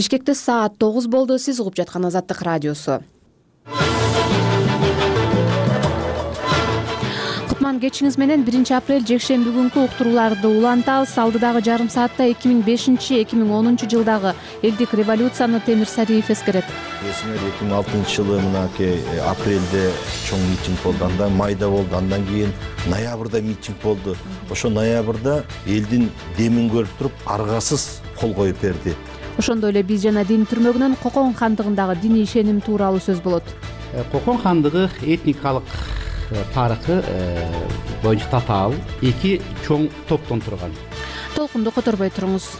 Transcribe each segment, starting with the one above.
Бишкекте саат 9 болду. Сиз угуп жаткан Азаттык радиосу. Кутман кечиңиз менен 1-апрель жекшемби күнкү уктурууларды улантабыз. Алдыдагы жарым саатта 2005-2010 жылдагы элдик революцияны Темир Сариев эскерет. Эсиңер 2006 жылы мынакей апрелде чоң митинг болду, андан майда болду, андан кийин ноябрда митинг болду. Ошо ноябрда элдин демин көрүп туруп аргасыз кол коюп берди. Ошондой эле биз жана дин түрмөгүнөн Кокон хандыгындагы диний ишеним тууралуу сөз болот. Кокон хандыгы этникалык тарыхы боюнча татаал эки чоң топтон турган. Толкунду которбой туруңуз.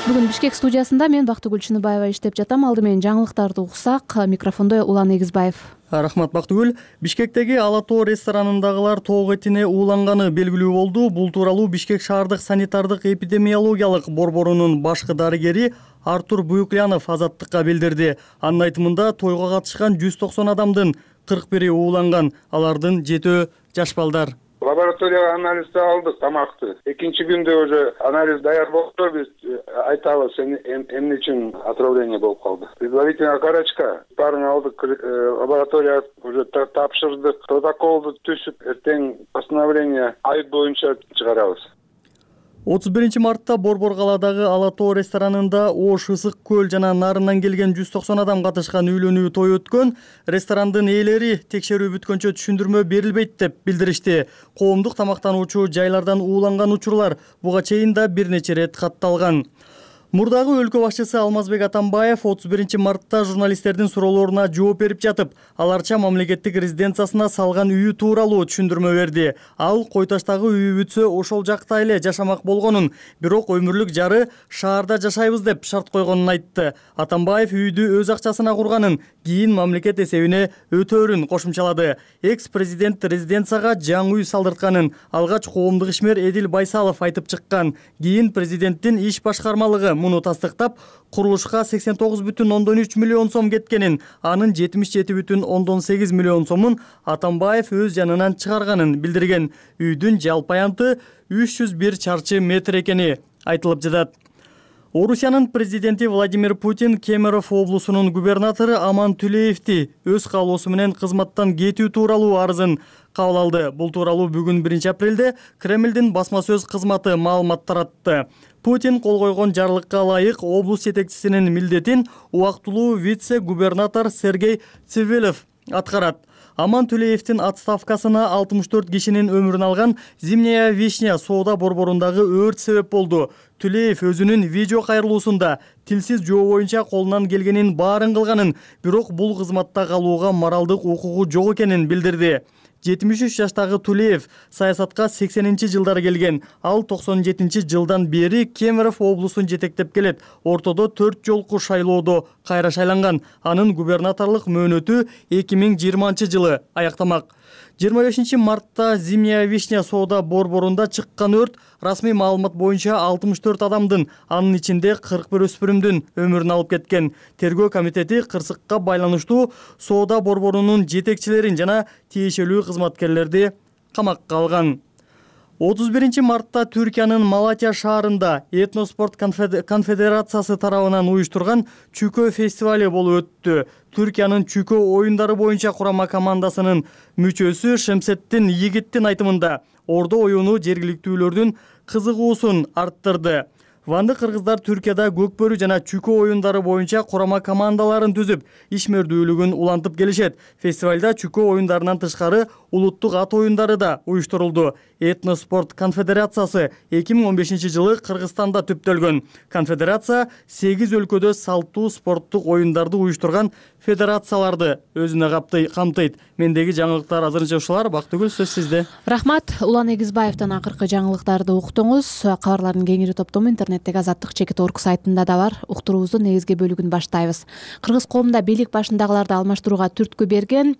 Бүгүн Бишкек студиясында мен Бактыгүл Чыныбаева иштеп жатам. Алды менен жаңылыктарды уксак, микрофондо Улан Эгизбаев. Рахмат Бактыгүл. Бишкектеги Ала Тоо ресторанындагылар тоок этине ууланганы белгилүү болду. Бул тууралуу Бишкек шаардык санитардык эпидемиологиялык борборунун башкы дарыгери Артур Буюклянов Азаттыкка билдирди. Анын айтымында тойго катышкан 190 адамдын 41 ууланган, алардын 7 жаш балдар. Лабораторияга анализди алдык тамакты. Экинчи күндө уже анализ даяр болду, биз айтабыз эмне үчүн отравление болуп калды. Предварительная карачка баарын алдык, лабораторияга уже тапшырдык, протоколду түзүп, эртең постановление ай боюнча чыгарабыз. 31 мартта Борбор калаадагы Ала Тоо ресторанында Ош, Ысык көл жана Нарынан келген 190 адам катышкан үйлөнүү той өткөн. Ресторандын ээлери текшерүү бүткөнчө түшүндүрмө берилбейт деп билдиришти. Коомдук тамактануучу жайлардан ууланган учурлар буга чейин да бир нече рет катталган. Мурдагы өлкө башчысы Алмазбек Атамбаев 31 мартта журналисттердин суроолоруна жооп берип жатып, аларча мамлекеттик резиденциясына салган үйү тууралуу түшүндүрмө берди. Ал Кой Таштагы үйү бүтсө ошол жакта эле жашамак болгонун, бирок өмүрлүк жары шаарда жашайбыз деп шарт койгонун айтты. Атамбаев үйдү өз акчасына курганын, кийин мамлекет эсебине өтөөрүн кошумчалады. Экс-президент резиденцияга жаңы үй салдыртканын алгач коомдук ишмер Эдил Байсалов айтып чыккан. Кийин президенттин иш башкармалыгы муну тастыктап, курулушка 89,3 миллион сом кеткенин, анын 77,8 миллион сомун Атамбаев өз жанынан чыгарганын билдирген. Үйдүн жалпы аянты 301 чарчы метр экени айтылып жатат. Орусиянын президенти Владимир Путин Кемерово облусунун губернатору Аман Түлеевди өз каалоосу менен кызматтан кетүү тууралуу арызын кабыл алды. Бул тууралуу бүгүн 1-апрелде Кремлдин басма сөз кызматы маалымат таратты. Путин кол койгон жарлыкка ылайык облус жетекчисинин милдетин убактылуу вице-губернатор Сергей Цивилев аткарат. Аман Түлеевдин отставкасына 64 кишинин өмүрүн алган Зимняя вишня соода борборундагы өрт себеп болду. Түлеев өзүнүн видео кайрылуусунда тилсиз жоо боюнча колунан келгенин баарын кылганын, бирок бул кызматта калууга моралдык укугу жок экенин билдирди. 73 жаштагы Түлеев саясатка 80-жылдары келген. Ал 97-жылдан бери Кемерово облусун жетектеп келет. Ортодо 4 жолку шайлоодо кайра шайланган. Анын губернаторлук мөөнөтү 2020 жылы аяктамак. 25 мартта Зимняя вишня соода борборунда чыккан өрт расмий маалымат боюнча 64 адамдын, анын ичинде 41 өспүрүмдүн өмүрүн алып кеткен. Тергөө комитети кырсыкка байланыштуу соода борборунун жетекчилерин жана тиешелүү кызматкерлерди камакка алган. 31 мартта Түркиянын Малатия шаарында Этноспорт конфедерациясы тарабынан уюштурган Чүкө фестивали болуп өттү. Түркиянын Чүкө оюндары боюнча курама командасынын мүчөсү Шемсеттин Йигиттин айтымында ордо оюну жергиликтүүлөрдүн кызыгуусун арттырды. Ванды кыргыздар Түркияда көкбөрү жана Чүкө оюндары боюнча курама командаларын түзүп, ишмердүүлүгүн улантып келишет. Фестивалда Чүкө оюндарынан тышкары улуттук ат оюндары да уюштурулду. Этноспорт конфедерациясы 2015 жылы Кыргызстанда түптөлгөн. Конфедерация 8 өлкөдө салттуу спорттук оюндарды уюштурган федерацияларды өзүнө камтыйт. Мендеги жаңылыктар азырынча ушулар. Бактыгүл, сөз сизде. Рахмат. Улан Эгизбаевден акыркы жаңылыктарды уктуңуз. Кабарлардын кеңири топтому интернеттеги Азаттык.org сайтында да бар. Уктуруубуздун негизги бөлүгүн баштайбыз. Кыргыз коомунда бийлик башындагыларды алмаштырууга түрткү берген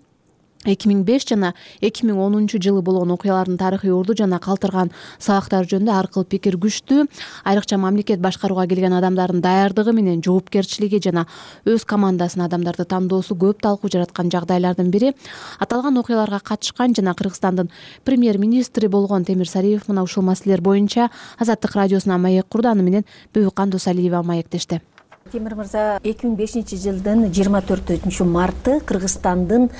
2005 жана 2010 жылы болгон окуялардын тарыхый орду жана калтырган сабактар жөнүндө ар кыл пикир күчтүү. Айрыкча мамлекет башкарууга келген адамдардын даярдыгы менен жоопкерчилиги жана өз командасынын адамдарды тандоосу көп талкуу жараткан жагдайлардын бири. Аталган окуяларга катышкан жана Кыргызстандын премьер-министри болгон Темир Сариев мына ушул маселелер боюнча Азаттык радиосуна маек курду. Аны менен Бөбүкан Досалиева маектешти. Темир мырза, 2005 жылдын 24 марты Кыргызстандын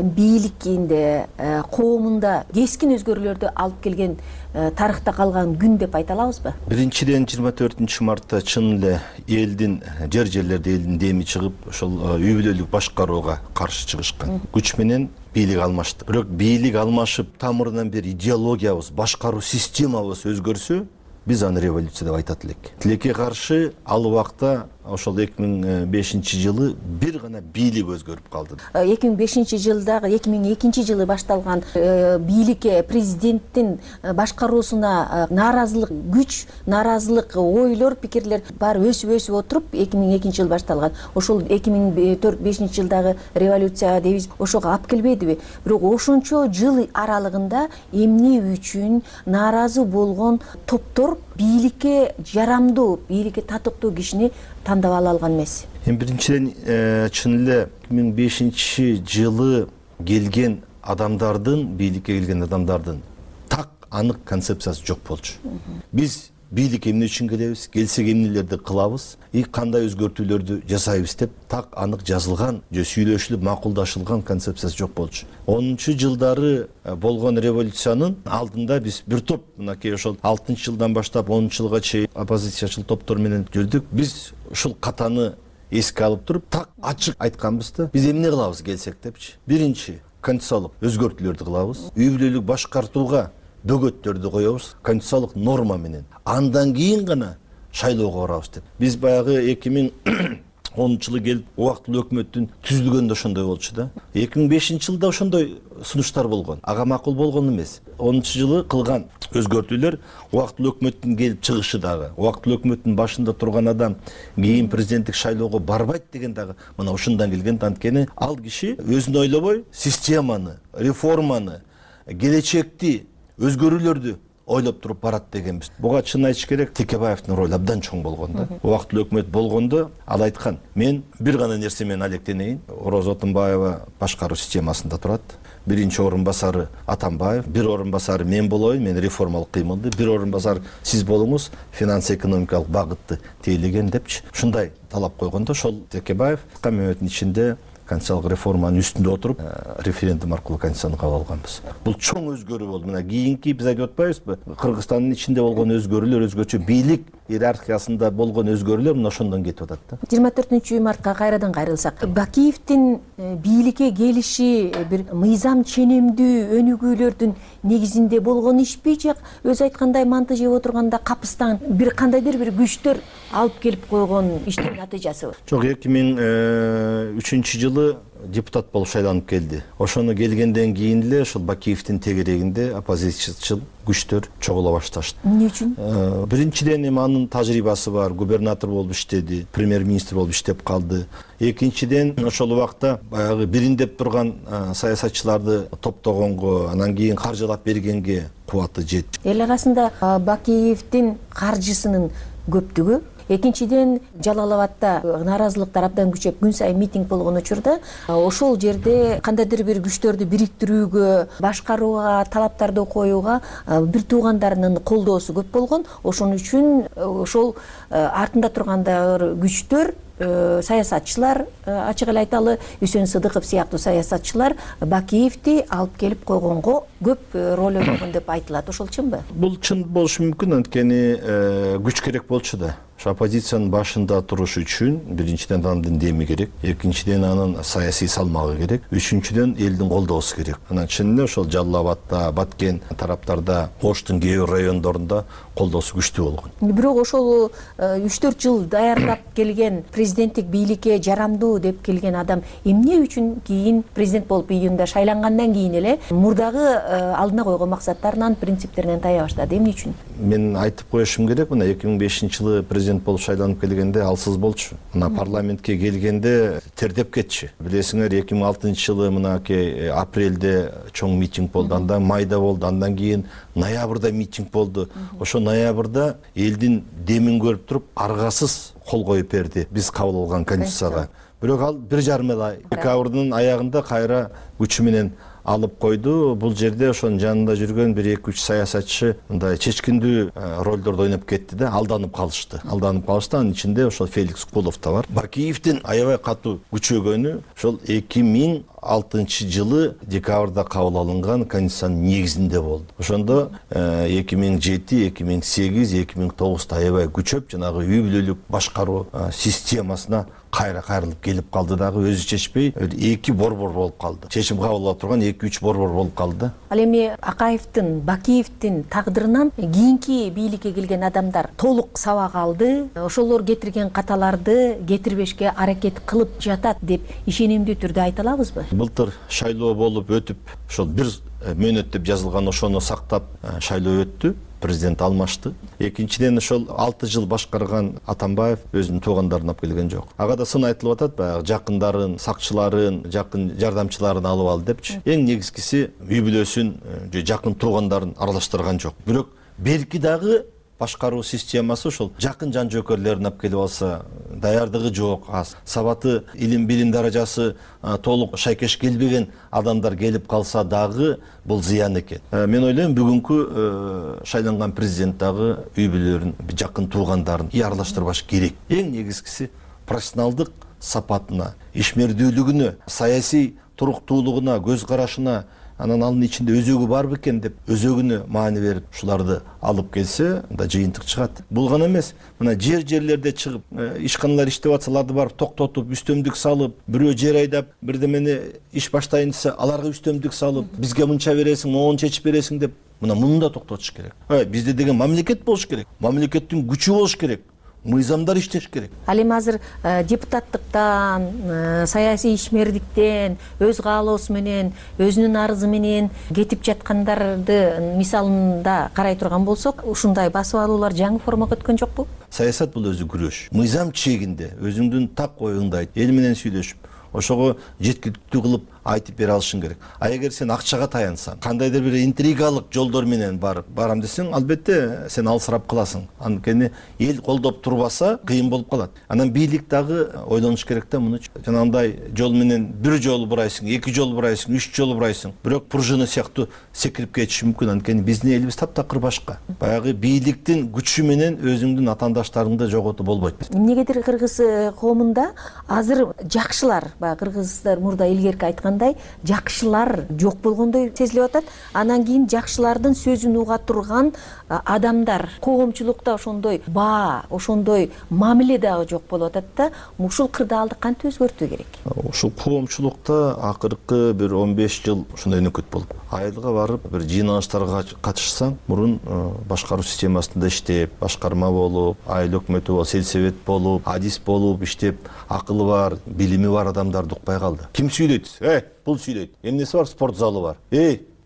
бийликинде, коомунда кескин өзгөрүүлөрдү алып келген тарыхта калган күн деп айта алабызбы? Биринчиден 24 мартта чын эле элдин жерлерде элдин деми чыгып, ошол үй бүлөлүк башкарууга каршы чыгышкан. Күч менен бийлик алмашты. Бирок бийлик алмашып, тамырынан бир идеологиябыз, башкаруу системабыз өзгөрсө, биз аны революция деп айтат элек. Тилекке каршы ал убакта ошол 2005 жылы бир гана бийлик өзгөрүп калды. 2005 жылдагы 2002 жылы башталган бийликке, президенттин башкаруусуна нааразылык күч, нааразылык ойлор, пикирлер баары өсүп отуруп 2002 жылы башталган. Ошол 2004-2005 жылдагы революция дейбиз, ошого алып келбедиби? Бирок ошончо жыл аралыгында эмне үчүн нааразы болгон топтор бийликке жарамдуу, бийликке татыктуу кишини тандап ала алган эмес. Биринчиден чын эле 2005 жылы келген адамдардын, бийликке келген адамдардын так анык концепциясы жок болчу. Биз бийликке эмне үчүн келебиз, келсек эмнелерди кылабыз, кандай өзгөртүүлөрдү жасайбыз деп так анык жазылган, же сүйлөшүлүп макулдашылган концепциясы жок болчу. 10 жылдары болгон революциянын алдында биз бир топ, мынакей ошол 6 жылдан баштап 10 жылга чейин оппозициячыл топтор менен жүрдүк. Биз ушул катаны эске алып туруп, так ачык айтканбыз да, биз эмне кылабыз келсек депчи. Биринчи, конституциялык өзгөртүүлөрдү кылабыз. Үй бүлөлүк башкартууга бөгөттөрдү коебуз, конституциялык норма менен. Андан кийин гана шайлоого барабыз деп. Биз баягы 2010 жылы келип, убактылуу өкмөттүн түзүлгөндө ошондой болчу да. 2005 жылда ошондой сунуштар болгон. Ага макул болгон эмес. 10 жылы кылган өзгөртүүлөр, убактылуу өкмөттүн келип чыгышы дагы, убактылуу өкмөттүн башында турган адам кийин президенттик шайлоого барбайт деген дагы мына ушундан келген. Анткени ал киши өзүн ойлобой, системаны, реформаны, келечекти, өзгөрүүлөрдү ойлоп туруп барат дегенбиз. Буга чын айтыш керек, Текебаевдин ролу абдан чоң болгон да. Убактылуу өкмөт болгондо ал айткан: "Мен бир гана нерсе менен алектенейин. Орозо Отунбаева башкаруу системасында турат. Биринчи орун басары Атамбаев, бир орун басары мен болоюн, мен реформалык кыймылды, бир орун басары сиз болуңуз, финанс-экономикалык багытты тейлеген" депчи. Ушундай талап койгондо, ошол Текебаев мөөнөттүн ичинде конституциялык реформанын үстүндө отуруп, референдум аркылуу конституцияны кабыл алганбыз. Бул чоң өзгөрүү болду. Мына кийинки биз айтып атпайбызбы? Кыргызстандын ичинде болгон өзгөрүүлөр, өзгөчө бийлик иерархиясында болгон өзгөрүүлөр мына ошондон кетип атат да. 24 мартка кайрадан кайрылсак, Бакиевдин бийликке келиши бир мыйзам ченемдүү өнүгүүлөрдүн негизинде болгон ишпи, же өзү айткандай манты жеп отурганда капыстан бир кандайдыр бир күчтөр алып келип койгон иштин натыйжасыбы? Жок, 2003 жылы депутат болуп шайланып келди. Ошону келгенден кийин эле ошол Бакиевдин тегерегинде оппозициячыл күчтөр чогула башташты. Эмне үчүн? Биринчиден эми анын тажрыйбасы бар, губернатор болуп иштеди, премьер-министр болуп иштеп калды. Экинчиден ошол убакта баягы бириндеп турган саясатчыларды топтогонго, анан кийин каржылап бергенге кубаты жетти. Эл арасында Бакиевдин каржысынын көптүгү, экинчиден Жалал Абадда нааразылыктар абдан күчөп, күн сайын митинг болгон учурда ошол жерде кандайдыр бир күчтөрдү бириктирүүгө, башкарууга, талаптарды коюуга бир туугандарынын колдоосу көп болгон. Ошон үчүн ошол артында тургандар күчтөр, саясатчылар, ачык эле айталы, Үсөн Сыдыков сыяктуу саясатчылар Бакиевди алып келип койгонго көп роль ойногон деп айтылат. Ошол чынбы? Бул чын болушу мүмкүн, анткени күч керек болчу да. Оппозициянын башында туруш үчүн биринчиден анын деми керек, экинчиден анын саясий салмагы керек, үчүнчүдөн элдин колдоосу керек. Анан чын эле ошол Жалал Абадда, Баткен тараптарда, Оштун кээ бир райондорунда колдоосу күчтүү болгон. Бирок ошол 3-4 жыл даярдап келген, президенттик бийликке жарамдуу деп келген адам эмне үчүн кийин президент болуп июнда шайлангандан кийин эле мурдагы алдына койгон максаттарынан, принциптеринен тая баштады? Эмне үчүн? мен айтып коюшум керек, мына 2005-жылы президент болуп шайланып келгенде алсыз болчу. Мына парламентке келгенде тердеп кетчү. Билесиңер, 2006-жылы мынакей апрелде чоң митинг болду, андан майда болду, андан кийин ноябрда митинг болду. Ошо ноябрда элдин демин көрүп туруп аргасыз кол коюп берди биз кабыл алган конституцияга. Бирок ал 1,5 ай декабрдын аягында кайра күчү менен алып койду. Бул жерде ошонун жанында жүргөн 1-2-3 саясатчы мындай чечкиндүү ролдорду ойноп кетти да, алданып калышты. Анын ичинде ошол Феликс Кулов да бар. Бакиевдин аябай катуу күчөгөнү ошол 2006-жылы декабрда кабыл алынган конституциянын негизинде болду. Ошондо 2007, 2008, 2009 аябай күчөп, жанагы үй бүлөлүк башкаруу системасына кайрылып келип калды дагы, өзү чечпей 2 борбор болуп калды. Чечим кабыл ала турган 2-3 борбор болуп калды. Ал эми Акаевдин, Бакиевдин тагдырынан кийинки бийликке келген адамдар толук сабак алды. Ошолор кетирген каталарды кетирбешке аракет кылып жатат деп ишенимдүү түрдө айта алабызбы? Былтыр шайлоо болуп өтүп, ошол 1 мөөнөт деп жазылган ошону сактап шайлоо өттү. Президент алмашты. Экинчиден ошол 6 жыл башкарган Атамбаев өзүнүн туугандарын алып келген жок. Ага да сын айтылып атат, баягы жакындарын, сакчыларын, жакын жардамчыларын алып алды депчи. Эң негизгиси үй бүлөсүн, жакын туугандарын аралаштырган жок. Бирок берки дагы башкаруу системасы ошол жакын жан жөөкөрлөрүн алып келип алса, даярдыгы жок, аз. Сабаты, билим даражасы толук шайкеш келбеген адамдар келип калса дагы бул зыян экен. Мен ойлойм, бүгүнкү шайланган президент дагы үй бүлөлөрүн, жакын туугандарын аралаштырбаш керек. Эң негизгиси профессионалдык сапатына, ишмердүүлүгүнө, саясий туруктуулугуна, көз карашына, анан анын ичинде өзөгү бар бекен деп өзөгүнө маани берип ушуларды алып келсе, да жыйынтык чыгат. Бул гана эмес, мына жерлерде чыгып, ишканалар иштеп атсаларды барып токтотуп, үстөмдүк салып, бирөө жер айдап, бирдемени иш баштайын десе, аларга үстөмдүк салып, бизге мынча бересиң, моуну чечип бересиң деп, муну да токтотуш керек. Бизде деген мамлекет болуш керек. Мамлекеттин күчү болуш керек. Мыйзамдар иштеш керек. Ал эми азыр депутаттыктан, саясий ишмердиктен, өз каалоосу менен, өзүнүн арызы менен кетип жаткандарды мисалында карай турган болсок, ушундай басып алуулар жаңы формага өткөн жокпу? Саясат бул өзү күрөш. Мыйзам чегинде өзүңдүн так оюңду айт, эл менен сүйлөшүп, ошого жеткиликтүү кылып айтып бере алышың керек. Эгер сен акчага таянсаң, кандайдыр бир интригалык жолдор менен барам десең, албетте сен алсырап каласың. Анткени эл колдоп турбаса, кыйын болуп калат. Анан бийлик дагы ойлонуш керек да муну. Жанагындай жол менен бир жолу бурайсың, 2 жолу бурайсың, 3 жолу бурайсың. Бирок пружина сыяктуу секирип кетиши мүмкүн. Анткени биздин элибиз таптакыр башка. Баягы бийликтин күчү менен өзүңдүн атаандаштарыңды жоготуп болбойт. Эмнегедир кыргыз коомунда азыр жакшылар, баягы кыргыздар мурда илгерки айткандай, жакшылар жок болгондой сезилип атат. Анан кийин жакшылардын сөзүн уга турган адамдар, коомчулукта ошондой ошондой мамиле дагы жок болуп атат да. Ушул кырдаалды кантип өзгөртүү керек? Ушул коомчулукта акыркы бир 15 жыл ушундай өнөкөт болуп, айылга барып бир жыйналыштарга катышсаң, мурун башкаруу системасында иштеп, башкарма болуп, айыл өкмөтү болуп, сельсовет болуп, адис болуп иштеп, акылы бар, билими бар адамдарды укпай калды. Ким сүйлөйт? Бул сүйлөйт. Эмнеси бар? Спорт залы бар.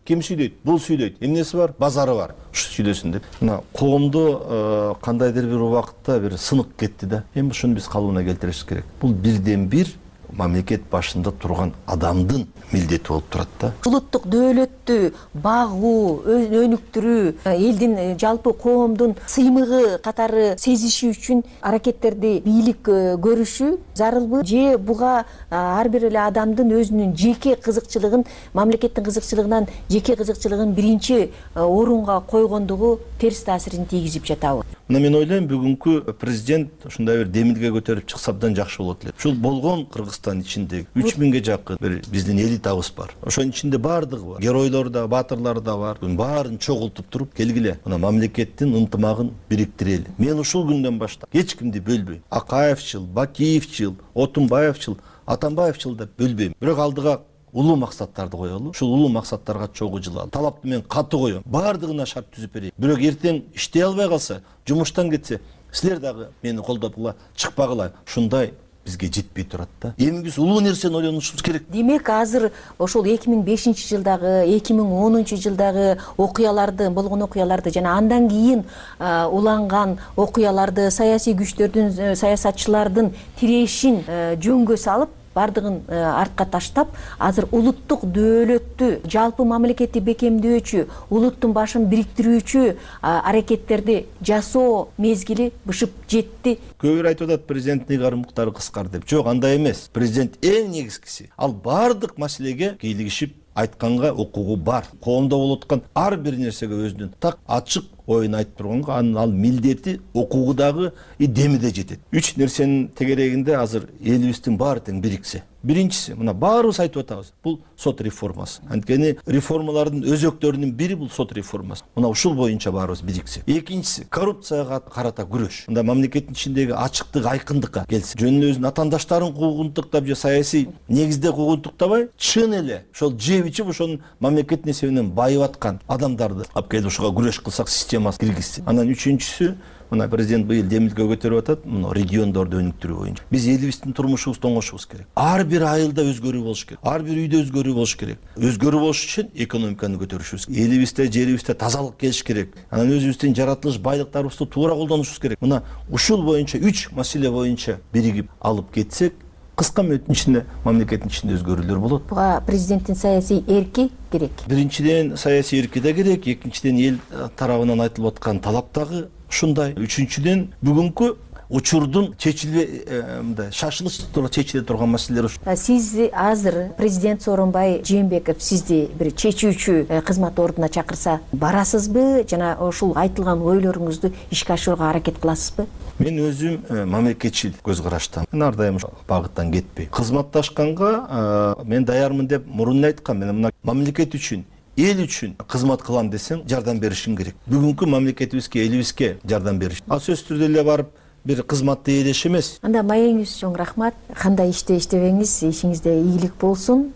Ким сүйлөйт? Бул сүйлөйт. Эмнеси бар? Базары бар. Ушу сүйлөсүн деп. Мына коомдо кандайдыр бир убакытта бир сынык кетти да. Эми ушуну биз калыбына келтиришибиз керек. Бул бирден бир мамлекет башында турган адамдын милдети болуп турат да. Улуттук дөөлөттү багуу, өнүктүрүү, элдин жалпы коомдун сыймыгы катары сезиши үчүн аракеттерди бийлик көрүшү зарылбы же буга ар бир эле адамдын өзүнүн жеке кызыкчылыгын, мамлекеттин кызыкчылыгынан жеке кызыкчылыгын биринчи орунга койгондугу терс таасирин тийгизип жатабы? Мына мен ойлойм, бүгүнкү президент ушундай бир демилге көтөрүп чыкса абдан жакшы болот эле. Ушул болгон Кыргызстан ичинде 3000ге жакын бир биздин элитабыз бар. Ошонун ичинде баардыгы бар. Геройлор да, баатырлар да бар. Баарын чогултуп туруп келгиле. Мына мамлекеттин ынтымагын бириктирели. Мен ушул күндөн баштап эч кимди бөлбөйм. Акаевчил, Бакиевчил, Отунбаевчил, Атамбаевчил деп бөлбөйм. Бирок алдыга улуу максаттарды коелу. Ушул улуу максаттарга чогуу жылалы. Талапты мен каты коем. Баардыгына шарт түзүп берейин. Бирок эртең иштей албай калса, жумуштан кетсе, силер дагы мени колдоп чыкпагыла. Ушундай бизге жетпей турат да. Эми биз улуу нерсени ойлонушубуз керек. Демек азыр ошол 2005-жылдагы 2010-жылдагы болгон окуяларды жана андан кийин уланган окуяларды саясий күчтөрдүн саясатчылардын тирешин жөнгө салып бардыгын артка таштап, азыр улуттук дөөлөттү жалпы мамлекетти бекемдөөчү, улуттун башын бириктирүүчү аракеттерди жасоо мезгили бышып жетти. Көбүр айтып атат президенттин ыйгары муктары кыскар деп. Жок, андай эмес. Президент эң негизгиси ал бардык маселеге кийлигишип айтканга укугу бар. Коомдо болуп аткан ар бир нерсеге өзүнүн так ачык оюн айтып турганга ал милдети, укугу дагы деми да жетет. 3 нерсенин тегерегинде азыр элибиздин баары тең бириксе. Биринчиси, мына баарыбыз айтып атабыз, бул сот реформасы. Анткени реформалардын өзөктөрүнүн бири бул сот реформасы. Мына ушул боюнча баарыбыз бириксе. Экинчиси, коррупцияга карата күрөш. Мында мамлекеттин ичиндеги ачыктык, айкындыкка келсе. Жөн өзүнүн атаандаштарын куугунтуктап же саясий негизде куугунтуктабай, чын эле ошол жеп ичип ошонун мамлекеттин эсебинен байып аткан адамдарды алып келип ушуга күрөш кылсак системасы киргизсе. Анан үчүнчүсү, мына президент быйыл демилге көтөрүп атат, мына региондорду өнүктүрүү боюнча. Биз элибиздин турмушубузду оңошубуз керек. Ар бир айылда өзгөрүү болуш керек. Ар бир үйдө өзгөрүү болуш керек. Өзгөрүү болуш үчүн экономиканы көтөрүшүбүз керек. Элибизде, жерибизде тазалык келиш керек. Анан өзүбүздүн жаратылыш байлыктарыбызды туура колдонушубуз керек. Мына ушул боюнча 3 маселе боюнча биригип алып кетсек, кыска мөөнөттүн ичинде мамлекеттин ичинде өзгөрүүлөр болот. Буга президенттин саясий эрки керек. Биринчиден саясий эрки да керек, экинчиден эл тарабынан айтылып аткан талап дагы ушундай. Үчүнчүдөн бүгүнкү учурдун шашылыч чечиле турган маселелер ушу. Сиз азыр президент Сооронбай Жээнбеков сизди бир чечүүчү кызмат ордуна чакырса барасызбы жана ушул айтылган ойлоруңузду ишке ашырууга аракет кыласызбы? Мен өзүм мамлекетчил көз караштамын. Мен ар дайым багыттан кетпейм. Кызматташканга мен даярмын деп мурун айткам. Мен мына мамлекет үчүн, эл үчүн кызмат кылам десең, жардам беришиң керек. Бүгүнкү мамлекетибизге, элибизге жардам бериш. Ал сөзсүз түрдө эле барып бир кызматты ээлеш эмес. Анда маегиңиз чоң рахмат. Кандай иште иштебеңиз, ишиңизде ийгилик болсун.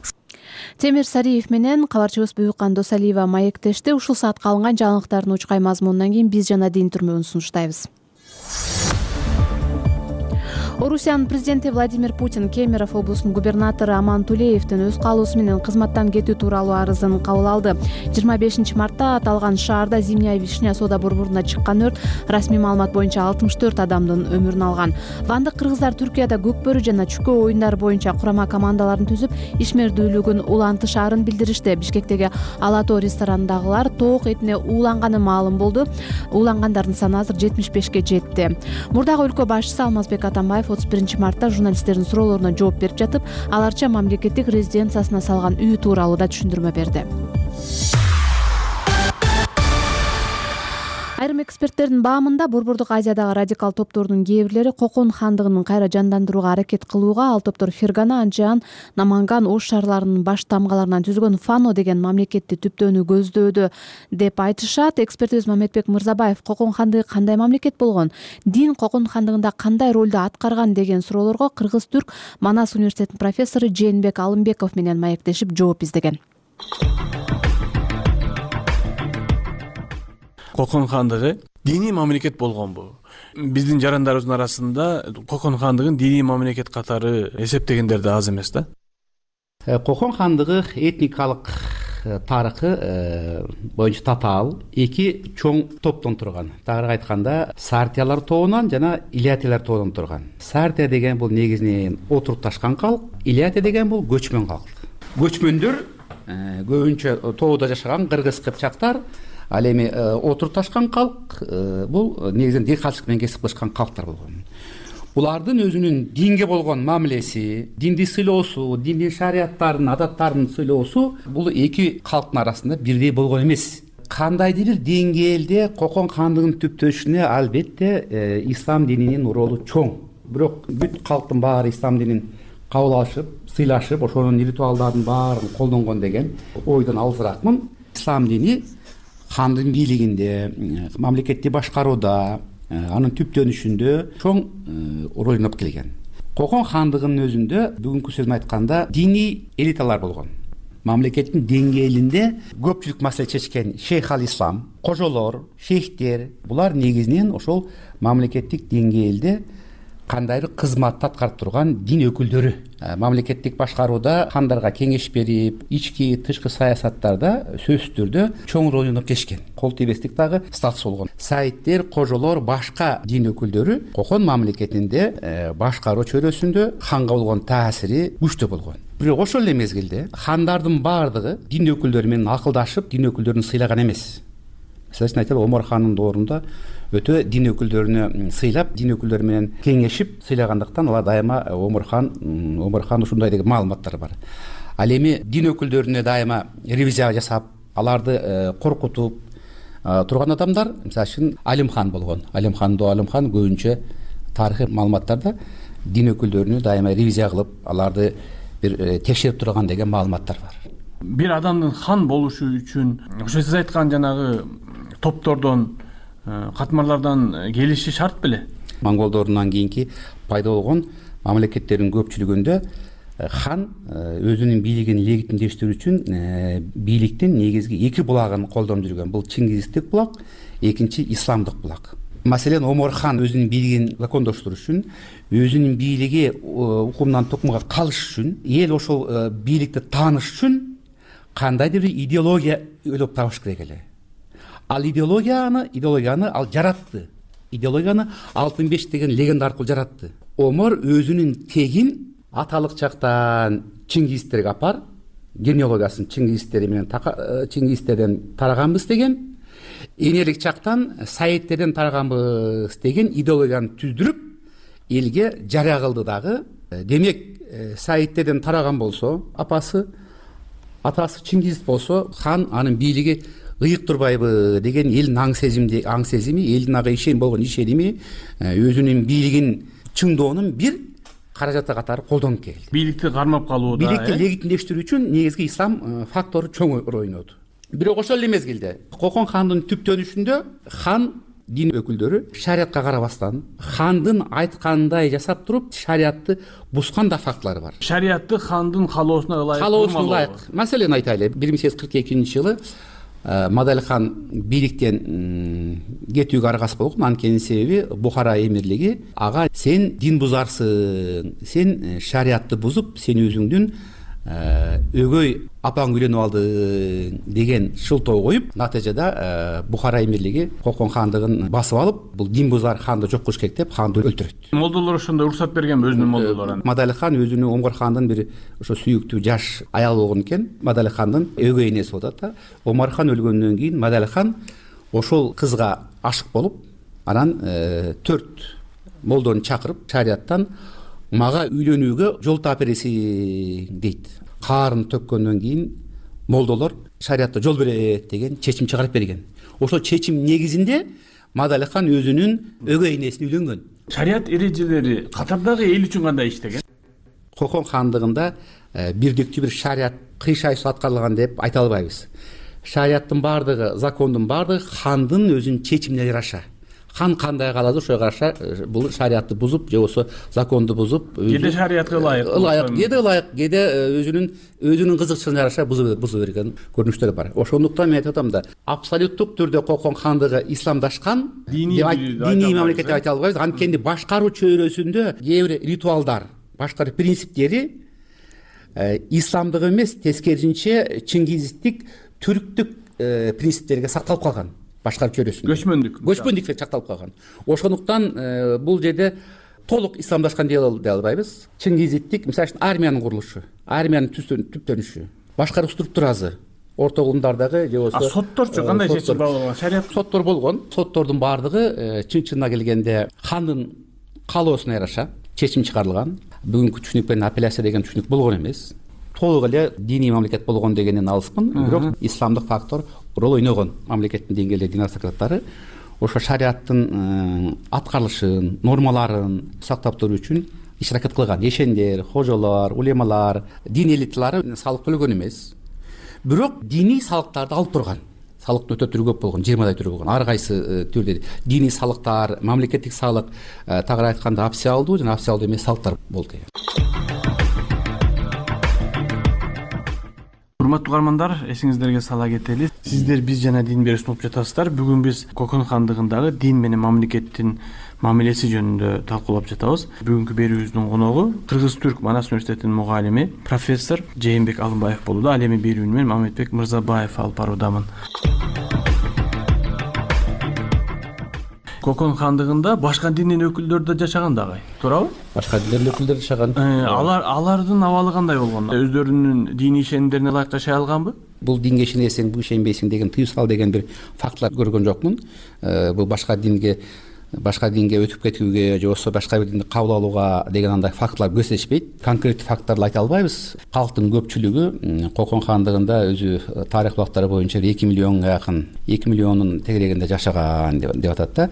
Темир Сариев менен кабарчыбыз Буюкан Досалиева маектешти. Ушул саатка алынган жаңылыктардын учкай мазмунунан кийин биз жана дин түрмөгүн сунуштайбыз. Орусиянын президенти Владимир Путин Кемерово облусунун губернатору Аман Тулеевдин өз каалоосу менен кызматтан кетүү тууралуу арызын кабыл алды. 25-мартта аталган шаарда Зимняя Вишня соода борборуна чыккан өрт расмий маалымат боюнча 64 адамдын өмүрүн алган. Вандык кыргыздар Түркияда көкбөрү жана чүкөө оюндары боюнча курама командаларын түзүп, ишмердүүлүгүн улантышаарын билдиришти. Бишкектеги Ала Тоо ресторанындагылар тоок этине ууланганы маалым болду. Уулангандардын саны азыр 75-ке жетти. Мурдагы өлкө башчысы Алмазбек Атамбаев 31-мартта журналисттердин суроолоруна жооп берип жатып, аларча мамлекеттик резиденциясына салган үй тууралуу да түшүндүрмө берди. Айрым эксперттердин баамында Борбордук Азиядагы радикал топтордун кээ бирлери Кокон хандыгын кайра жандандырууга аракет кылууга, ал топтор Фергана, Анжан, Наманган, Ош шаарларынын баш тамгаларынан түзүлгөн Фано деген мамлекетти түптөөнү көздөөдү деп айтышат. Экспертибиз Мамедбек Мырзабаев Кокон хандыгы кандай мамлекет болгон, дин Кокон хандыгында кандай ролду аткарган деген суроолорго Кыргыз-Түрк Манас университетинин профессору Жээнбек Алымбеков менен маектешип жооп издеген. Кокон хандыгы диний мамлекет болгонбу? Биздин жарандарыбыздын арасында Кокон хандыгын диний мамлекет катары эсептегендер да аз эмес да. Кокон хандыгы этникалык тарыхы боюнча татаал эки чоң топтон турган. Тагыраак айтканда, Сартиялар тобунан жана Илятиялар тобунан турган. Сартия деген бул негизинен отурукташкан калк, Илятия деген бул көчмөн калк. Көчмөндөр көбүнчө тоодо жашаган кыргыз кыпчактар, ал эми отурукташкан калк бул негизинен дыйканчылык менен кесип кылышкан калктар болгон. Булардын өзүнүн динге болгон мамилеси, динди сыйлоосу, диндин шарияттарын, адаттарын сыйлоосу бул эки калктын арасында бирдей болгон эмес. Кандайдыр бир деңгээлде Кокон хандыгынын түптөшүнө албетте ислам дининин ролу чоң. Бирок бүт калктын баары ислам динин кабыл алышып, сыйлашып, ошонун ритуалдарын баарын колдонгон деген ойдон алысыраакмын. Ислам дини хандын бийлигинде, мамлекетти башкарууда, анын түптөнүшүндө чоң роль ойноп келген. Кокон хандыгынын өзүндө бүгүнкү сөзүн айтканда диний элиталар болгон. Мамлекеттин деңгээлинде көпчүлүк маселе чечкен шейх ал-ислам, кожолор, шейхтер, булар негизинен ошол мамлекеттик деңгээлде кандайдыр кызматты аткарып турган дин өкүлдөрү. Мамлекеттик башкарууда хандарга кеңеш берип, ички тышкы саясаттарда сөзсүз түрдө чоң роль ойноп келишкен. Кол тийбестик дагы статус болгон. Сайиттер, кожолор, башка дин өкүлдөрү кокон мамлекетинде башкаруу чөйрөсүндө ханга болгон таасири күчтүү болгон. Бирок ошол эле мезгилде хандардын баардыгы дин өкүлдөрү менен акылдашып, дин өкүлдөрүн сыйлаган эмес. Мисалы айталы, Омар хандын доорунда өтө дин өкүлдөрүнө сыйлап, дин өкүлдөрү менен кеңешип сыйлагандыктан алар дайыма Омар хан ушундай деген маалыматтар бар. Ал эми дин өкүлдөрүнө дайыма ревизия жасап, аларды коркутуп турган адамдар, мисалы үчүн Алим хан болгон. Алим хан көбүнчө тарыхый маалыматтарда дин өкүлдөрүнө дайыма ревизия кылып, аларды бир текшерип турган деген маалыматтар бар. Бир адамдын хан болушу үчүн ошо сиз айткан жанагы топтордон, катмарлардан келиши шарт беле? Монголдордун кийинки пайда болгон мамлекеттердин көпчүлүгүндө хан өзүнүн бийлигин легитимдештирүү үчүн бийликтин негизги эки булагын колдонуп жүргөн. Бул чингизистик булак, экинчи исламдык булак. Маселен, Омар хан өзүнүн бийлигин закондоштуруу үчүн, өзүнүн бийлиги укумдан тукумга калыш үчүн, эл ошол бийликти тааныш үчүн кандайдыр бир идеология ойлоп табыш керек эле. Ал идеологияны ал жаратты. Идеологияны Алтын беш деген легенда аркылуу жаратты. Омар өзүнүн тегин аталык чактан чингизистерге апар, генеалогиясын чингизистерден тараганбыз деген, энелик чактан сайиттерден тараганбыз деген идеологияны түздүрүп, элге жарыя кылды дагы. Демек, сайиттерден тараган болсо, атасы чингиз болсо, хан анын бийлиги ыйык турбайбы деген элдин аң сезими, элдин ага болгон ишеними, өзүнүн бийлигин чыңдоонун бир каражаты катары колдонуп келди. Бийликти кармап калууда, бийликти легитимдештирүү үчүн негизги ислам фактору чоң роль ойноду. Бирок ошол эле мезгилде Кокон хандын түптөнүшүндө хан дин өкүлдөрү шариятка карабастан, хандын айткандай жасап туруп, шариятты бускан да фактылар бар. Шариятты хандын каалоосуна ылайык. Маселен айтайлы, 1842-жылы Мадай хан бийликтен кетүүгө аргасыз болгон. Анткени себеби Бухара эмирлиги ага сен дин бузарсың, сен шариятты бузуп, сен өзүңдүн өгөй апаң үйлөнүп алды деген шылтоо коюп, натыйжада Бухара эмирлиги Кокон хандыгын басып алып, бул дин бузар ханды жок кылыш керек деп ханды өлтүрөт. Молдолор ошондо уруксат бергенби, өзүнүн молдолору? Мадай хан өзүнүн Омар хандын бир ошо сүйүктүү жаш аял болгон экен. Мадай хандын өгөй энеси болот да. Омар хан өлгөндөн кийин Мадай хан ошол кызга ашык болуп, анан 4 молдону чакырып, шарияттан мага үйлөнүүгө жол таап бересиң дейт. Каарын төккөндөн кийин молдолор шариятта жол берет деген чечим чыгарып берген. Ошол чечим негизинде Мадай хан өзүнүн өгөй энесине үйлөнгөн. Шарият эрежелери катардагы эл үчүн кандай иштеген? Кокон хандыгында бирдиктүү бир шарият кыйшайсыз аткарылган деп айта албайбыз. Шарияттын баардыгы, закондун баардыгы хандын өзүнүн чечимине жараша. Хан кандай кааласа ошого караша бул шариятты бузуп, же болбосо законду бузуп, кеде шариятка ылайык, кеде өзүнүн кызыкчылыгына жараша бузуп берген көрүнүштөр бар. Ошондуктан мен айтып атам да, абсолюттук түрдө Кокон хандыгы исламдашкан диний мамлекет деп айта албайбыз. Анткени башкаруу чөйрөсүндө кээ бир ритуалдар, башкаруу принциптери исламдык эмес, тескерисинче чингизистик, түрктүк принциптерге сакталып калган. Башкаруу чөйрөсүндө көчмөндүк сакталып калган. Ошондуктан бул жерде толук исламдашкан дей албайбыз. Чингизиттик, мисалы үчүн армиянын курулушу, армиянын түптөнүшү, башкаруу структурасы, орто кылымдардагы же болбосо сотторчу кандай чечим болгон? Шарият соттор болгон. Соттордун баардыгы чын-чынына келгенде хандын каалоосуна жараша чечим чыгарылган. Бүгүнкү түшүнүк менен апелляция деген түшүнүк болгон эмес. Толук эле диний мамлекет болгон дегенден алыспын. Бирок исламдык фактор роль ойногон. Мамлекеттин деңгээлде дин аристократтары ошо шариаттын аткарылышын, нормаларын сактап туруу үчүн иш-аракет кылган. Ешендер, хожолор, улемалар, дин элиталары салык төлөгөн эмес. Бирок диний салыктарды алып турган. Салыктын өтө түрү көп болгон, 20 түрү болгон. Ар кайсы түрдө диний салыктар, мамлекеттик салык, тагыраак айтканда опциалдуу жана опциалдуу эмес салыктар болду. Урматтуу угармандар, эсиңиздерге сала кетели. Сиздер биз жана дин берүү сунуп жатасыздар. Бүгүн биз Кокон хандыгындагы дин менен мамлекеттин мамилеси жөнүндө талкуулап жатабыз. Бүгүнкү берүүбүздүн коногу Кыргыз-Түрк Манас университетинин мугалими профессор Жээнбек Алымбаев болууда. Ал эми берүүнү мен Мамедбек Мырзабаев алып баруудамын. Кокон хандыгында башка диндин өкүлдөрү да жашаган дагы, туурабы? Башка диндин өкүлдөрү жашаган. Алардын абалы кандай болгон? Өздөрүнүн дини ишенимдерине ылайык жашай алганбы? Бул динге ишенесиң, бул ишенбейсиң деген тыюу сал деген бир фактылар көргөн жокмун. Бул башка динге өтүп кетүүгө же болбосо башка бир динди кабыл алууга деген андай фактылар көрсөтүшпөйт. Конкреттүү факттарды айта албайбыз. Калктын көпчүлүгү Кокон хандыгында өзү тарых булактары боюнча 2 миллионго жакын, 2 миллиондун тегерегинде жашаган деп атат да.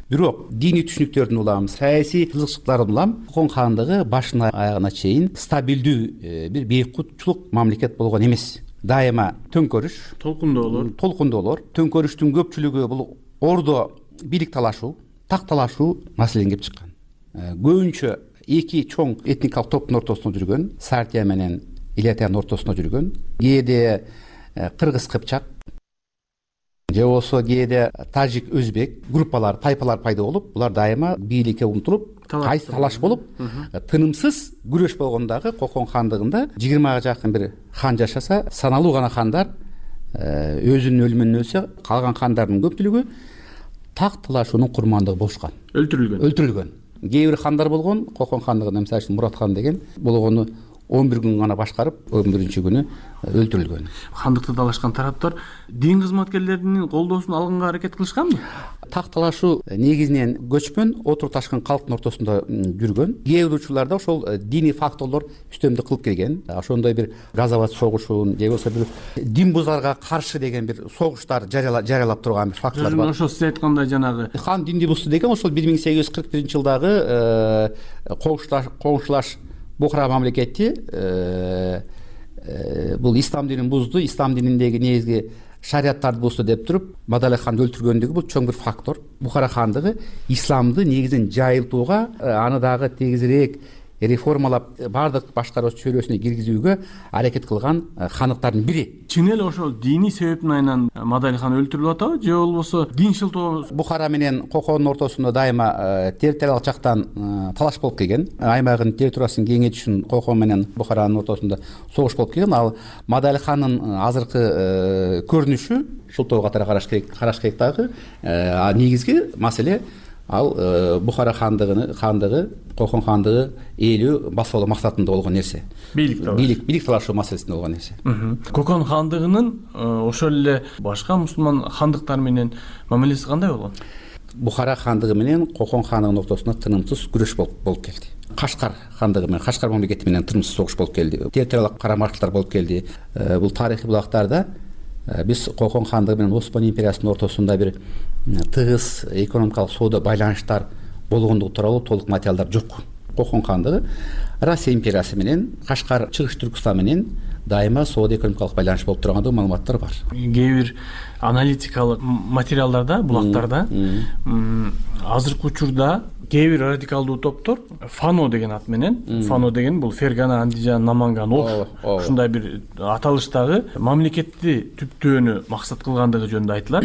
Бирок диний түшүнүктөрдүн улам, саясий кызыкчылыктардын улам Кокон хандыгы башынан аягына чейин стабилдүү бир бейкутчулук мамлекет болгон эмес. Дайыма төңкөрүш, толкундоолор, төңкөрүштүн көпчүлүгү бул ордо бийлик талашуу, так талашуу маселени келип чыккан. Көбүнчө эки чоң этникалык топтун ортосунда жүргөн, Сартия менен Илятиянын ортосунда жүргөн, кээде кыргыз кыпчак же болбосо кээде тажик өзбек группалар, тайпалар пайда болуп, булар дайыма бийликке умтулуп, кайсы талаш болуп, тынымсыз күрөш болгон дагы Кокон хандыгында 20га жакын бир хан жашаса, саналуу гана хандар өзүнүн өлүмүнөн өлсө, калган хандардын көпчүлүгү так талашуунун курмандыгы болушкан. Өлтүрүлгөн. Кээ бир хандар болгон, Кокон хандыгында мисалы үчүн Мурат хан деген болгону 11 күн гана башкарып, 11-күнү өлтүрүлгөн. Хандыкты талашкан тараптар дин кызматкерлеринин колдоосун алганга аракет кылышканбы? Так талашуу негизинен көчмөн, отуруп ташкан калктын ортосунда жүргөн. Кээ бир учурларда ошол диний факторлор үстөмдүк кылып келген. Ошондой бир газоват согушун же болбосо бир дин бузарга каршы деген бир согуштар жарыялап турган бир фактлар бар. Ошол сиз айткандай жанагы хан динди бузду деген ошол 1841-жылдагы коңшулаш Бухара мамлекети бул ислам динин бузду, ислам дининдеги негизги шариаттарды бузду деп туруп, Мадали ханды өлтүргөндүгү бул чоң бир фактор. Бухара хандыгы исламды негизин жайылтууга, аны дагы тегизирээк реформалап, бардык башкаруучу чөйрөсүнө киргизүүгө аракет кылган хандыктардын бири. Чын эле ошол диний себептин айынан Мадали хан өлтүрүлүп атабы же болбосо дин шылтоо? Бухара менен Кокондун ортосунда дайыма территориялык жактан талаш болуп келген. Аймагын территориясын кеңейтиш үчүн Кокон менен Бухаранын ортосунда согуш болуп келген. Ал Мадали хандын азыркы көрүнүшү шылтоо катары караш керек дагы. Негизги маселе ал Бухара хандыгы, Кокон хандыгы ээлүү басып алуу максатында болгон нерсе. Бийлик талашуу маселесинде болгон нерсе. Кокон хандыгынын ошол эле башка мусулман хандыктар менен мамилеси кандай болгон? Бухара хандыгы менен Кокон хандыгынын ортосунда тынымсыз күрөш болуп келди. Кашкар хандыгы менен, Кашкар мамлекети менен тынымсыз согуш болуп келди. Территориялык карама-каршылыктар болуп келди. Бул тарыхый булактарда биз Кокон хандыгы менен Осман империясынын ортосунда бир тыгыз экономикалык соода байланыштар болгондугу тууралуу толук материалдар жок. Кокон хандыгы Россия империясы менен, Кашкар, Чыгыш Түркстан менен дайыма соода экономикалык байланыш болуп тургандыгы маалыматтар бар. Кээ бир аналитикалык материалдарда, булактарда азыркы учурда кээ бир радикалдуу топтор Фано деген ат менен, Фано деген бул Фергана, Андижан, Наманган, Ош ушундай бир аталыштагы мамлекетти түптөөнү максат кылгандыгы жөнүндө айтылат.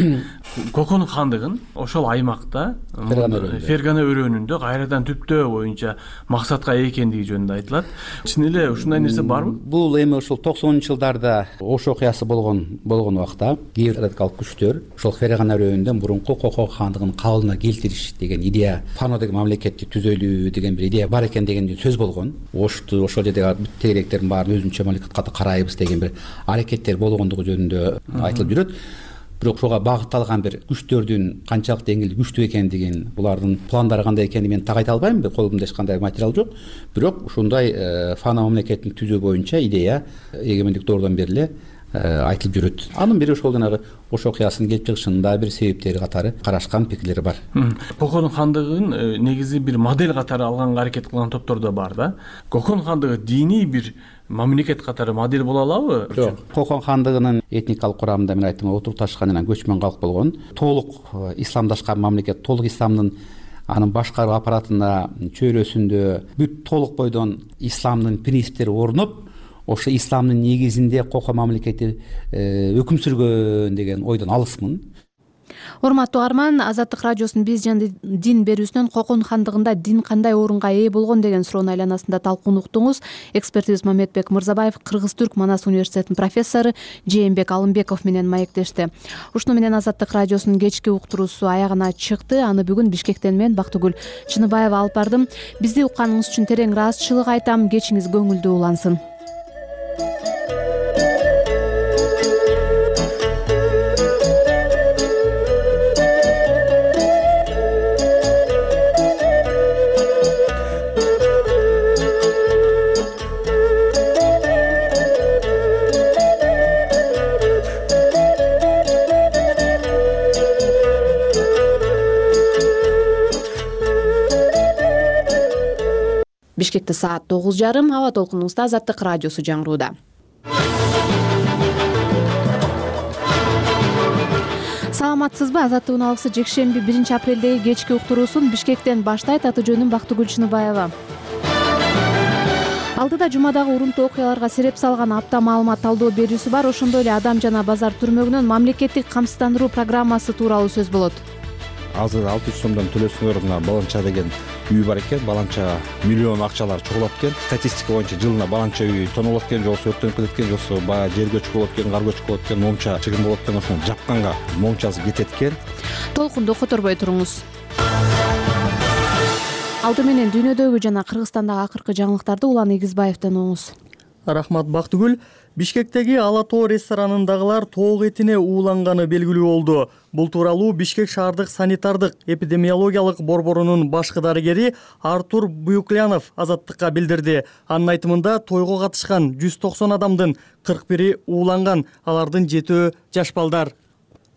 Кокон хандыгын ошол аймакта Фергана өрөөнүндө кайрадан түптөө боюнча максатка ээ экендиги жөнүндө айтылат. Чын эле ушундай нерсе барбы? Бул эми ошол 90-жылдарда Ош окуясы болгон убакта кээ бир радикалдык күчтөр ошол Фергана өрөөнүндө мурунку Кокон хандыгын калыбына келтириш деген идея, Фано деген мамлекетти түзөлүү деген бир идея бар экен деген сөз болгон. Ошту ошол жердеги бүт тегеректердин баарын өзүнчө мамлекет катары карайбыз деген бир аракеттер болгондугу жөнүндө айтылып жүрөт. Бирок ошого багытталган бир күчтөрдүн канчалык деңгээлде күчтүү экендигин, булардын пландары кандай экенин мен так айта албайм, колумда эч кандай материал жок. Бирок ушундай Фано мамлекетин түзүү боюнча идея эгемендик доордон бери эле айтылып жүрөт. Анын бири ошол жанагы Ош окуясынын келип чыгышында бир себептери катары карашкан пикирлери бар. Кокон хандыгын негизи бир модель катары алганга аракет кылган топтор да бар да. Кокон хандыгы диний бир мамлекет катары модель боло алабы? Жок. Кокон хандыгынын этникалык курамында мен айттым, отуруп ташкан жана көчмөн калк болгон, толук исламдашкан мамлекет, толук исламдын анын башкаруу аппаратына, чөйрөсүндө бүт толук бойдон исламдын принциптери орноп, ошо исламдын негизинде Кокон мамлекети өкүм сүргөн деген ойдон алысмын. Урматтуу угарман, Азаттык радиосунун биз жана дин берүүсүнөн Кокон хандыгында дин кандай орунга ээ болгон деген суроонун айланасында талкууну уктуңуз. Экспертибиз Мамедбек Мырзабаев Кыргыз-Түрк Манас университетинин профессору Жээнбек Алымбеков менен маектешти. Ушуну менен Азаттык радиосунун кечки уктуруусу аягына чыкты. Аны бүгүн Бишкектен мен Бактыгүл Чыныбаева алып бардым. Бизди укканыңыз үчүн терең ыраазычылык айтам. Кечиңиз көңүлдүү улансын. Бишкекте саат 9:30. Аба толкунубузда Азаттык радиосу жаңырууда. Саламатсызбы? Азаттыктын алгысы жекшемби 1 апрелдеги кечки уктуруусун Бишкектен баштайт. Аты жөнүм Бактыгүл Чыныбаева. Алдыда жумадагы урунтуу окуяларга сереп салган апта маалымат талдоо берүүсү бар. Ошондой эле Адам жана базар түрмөгүнөн мамлекеттик камсыздандыруу программасы тууралуу сөз болот. Азыр 600 сомдон төлөсөңөр мына Баланча деген үй бар экен. Баланча миллион акчалар чогулат экен. Статистика боюнча жылына Баланча үй тонулат экен, жоксо өрттөнүп кетет экен, жоксо баягы жер көчкү болот экен, кар көчкү болот экен, момча чыгым болот экен. Ошону жапканга момчасы кетет экен. Толкунду которбой туруңуз. Алды менен дүйнөдөгү жана Кыргызстандагы акыркы жаңылыктарды Улан Эгизбаевден угуңуз. Рахмат Бактыгүл. Бишкектеги Ала тоо ресторанындагылар тоок этине ууланганы белгилүү болду. Бул тууралуу Бишкек шаардык санитардык эпидемиологиялык борборунун башкы дарыгери Артур Буюклянов Азаттыкка билдирди. Анын айтымында тойго катышкан 190 адамдын 41 ууланган, алардын 7 жаш балдар.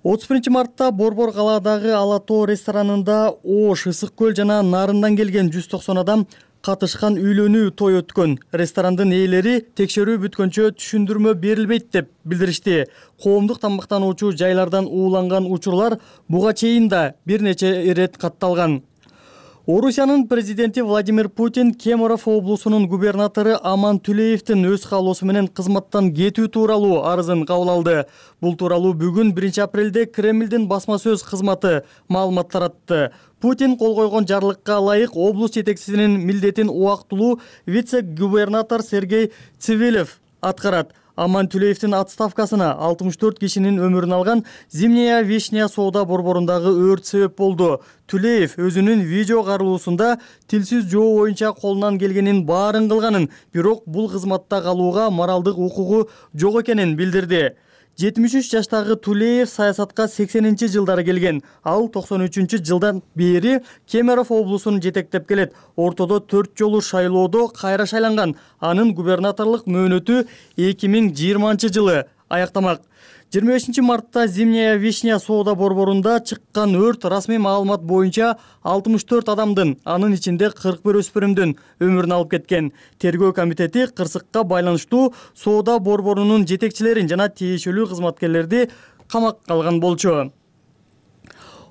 31 мартта Борбор калаадагы Ала тоо ресторанында Ош, Ысык көл жана Нарындан келген 190 адам катышкан үйлөнүү той өткөн. Ресторандын ээлери текшерүү бүткөнчө түшүндүрмө берилбейт деп билдиришти. Коомдук тамактануучу жайлардан ууланган учурлар буга чейин да бир нече ирет катталган. Орусиянын президенти Владимир Путин Кемерово облусунун губернатору Аман Түлеевдин өз каалоосу менен кызматтан кетүү тууралуу арызын кабыл алды. Бул тууралуу бүгүн 1 апрелде Кремлдин басма сөз кызматы маалымат таратты. Путин кол койгон жарлыкка ылайык облус жетекчисинин милдетин убактылуу вице-губернатор Сергей Цивилев аткарат. Аман Түлеевдин отставкасына 64 кишинин өмүрүн алган Зимняя Вишня соода борборундагы өрт себеп болду. Түлеев өзүнүн видео каарылуусунда тилсиз жоо боюнча колунан келгенин баарын кылганын, бирок бул кызматта калууга моралдык укугу жок экенин билдирди. 73 жаштагы Түлеев саясатка 80-жылдары келген. Ал 93-жылдан бери Кемерово облусун жетектеп келет. Ортодо 4 жолу шайлоодо кайра шайланган. Анын губернаторлук мөөнөтү 2020-жылы аяктамак. 25 мартта Зимняя Вишня соода борборунда чыккан өрт расмий маалымат боюнча 64 адамдын, анын ичинде 41 өспүрүмдүн өмүрүн алып кеткен. Тергөө комитети кырсыкка байланыштуу соода борборунун жетекчилерин жана тиешелүү кызматкерлерди камакка алган болчу.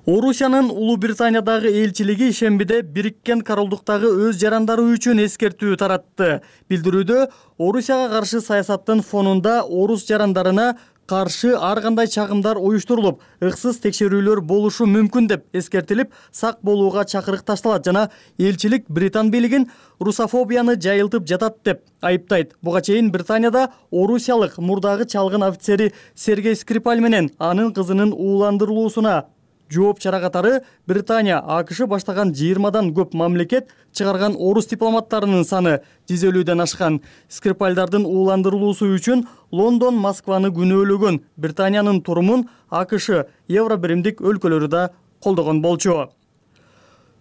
Орусиянын Улуу Британиядагы элчилиги ишембиде Бириккен Королдуктагы өз жарандары үчүн эскертүү таратты. Билдирүүдө Орусияга каршы саясаттын фонунда орус жарандарына каршы ар кандай чагымдар уюштурулуп, ыксыз текшерүүлөр болушу мүмкүн деп эскертилип, сак болууга чакырык ташталат жана элчилик Британ бийлигин русофобияны жайылтып жатат деп айыптайт. Буга чейин Британияда орусиялык мурдагы чалгын офицери Сергей Скрипаль менен анын кызынын ууландырылуусуна жооп чара катары Британия, АКШ баштаган 20дан көп мамлекет чыгарган орус дипломаттарынын саны 150ден ашкан. Скрипальдардын ууландырылуусу үчүн Лондон, Москваны күнөөлөгөн. Британиянын турумун АКШ, Евробиримдик өлкөлөрү да колдогон болчу.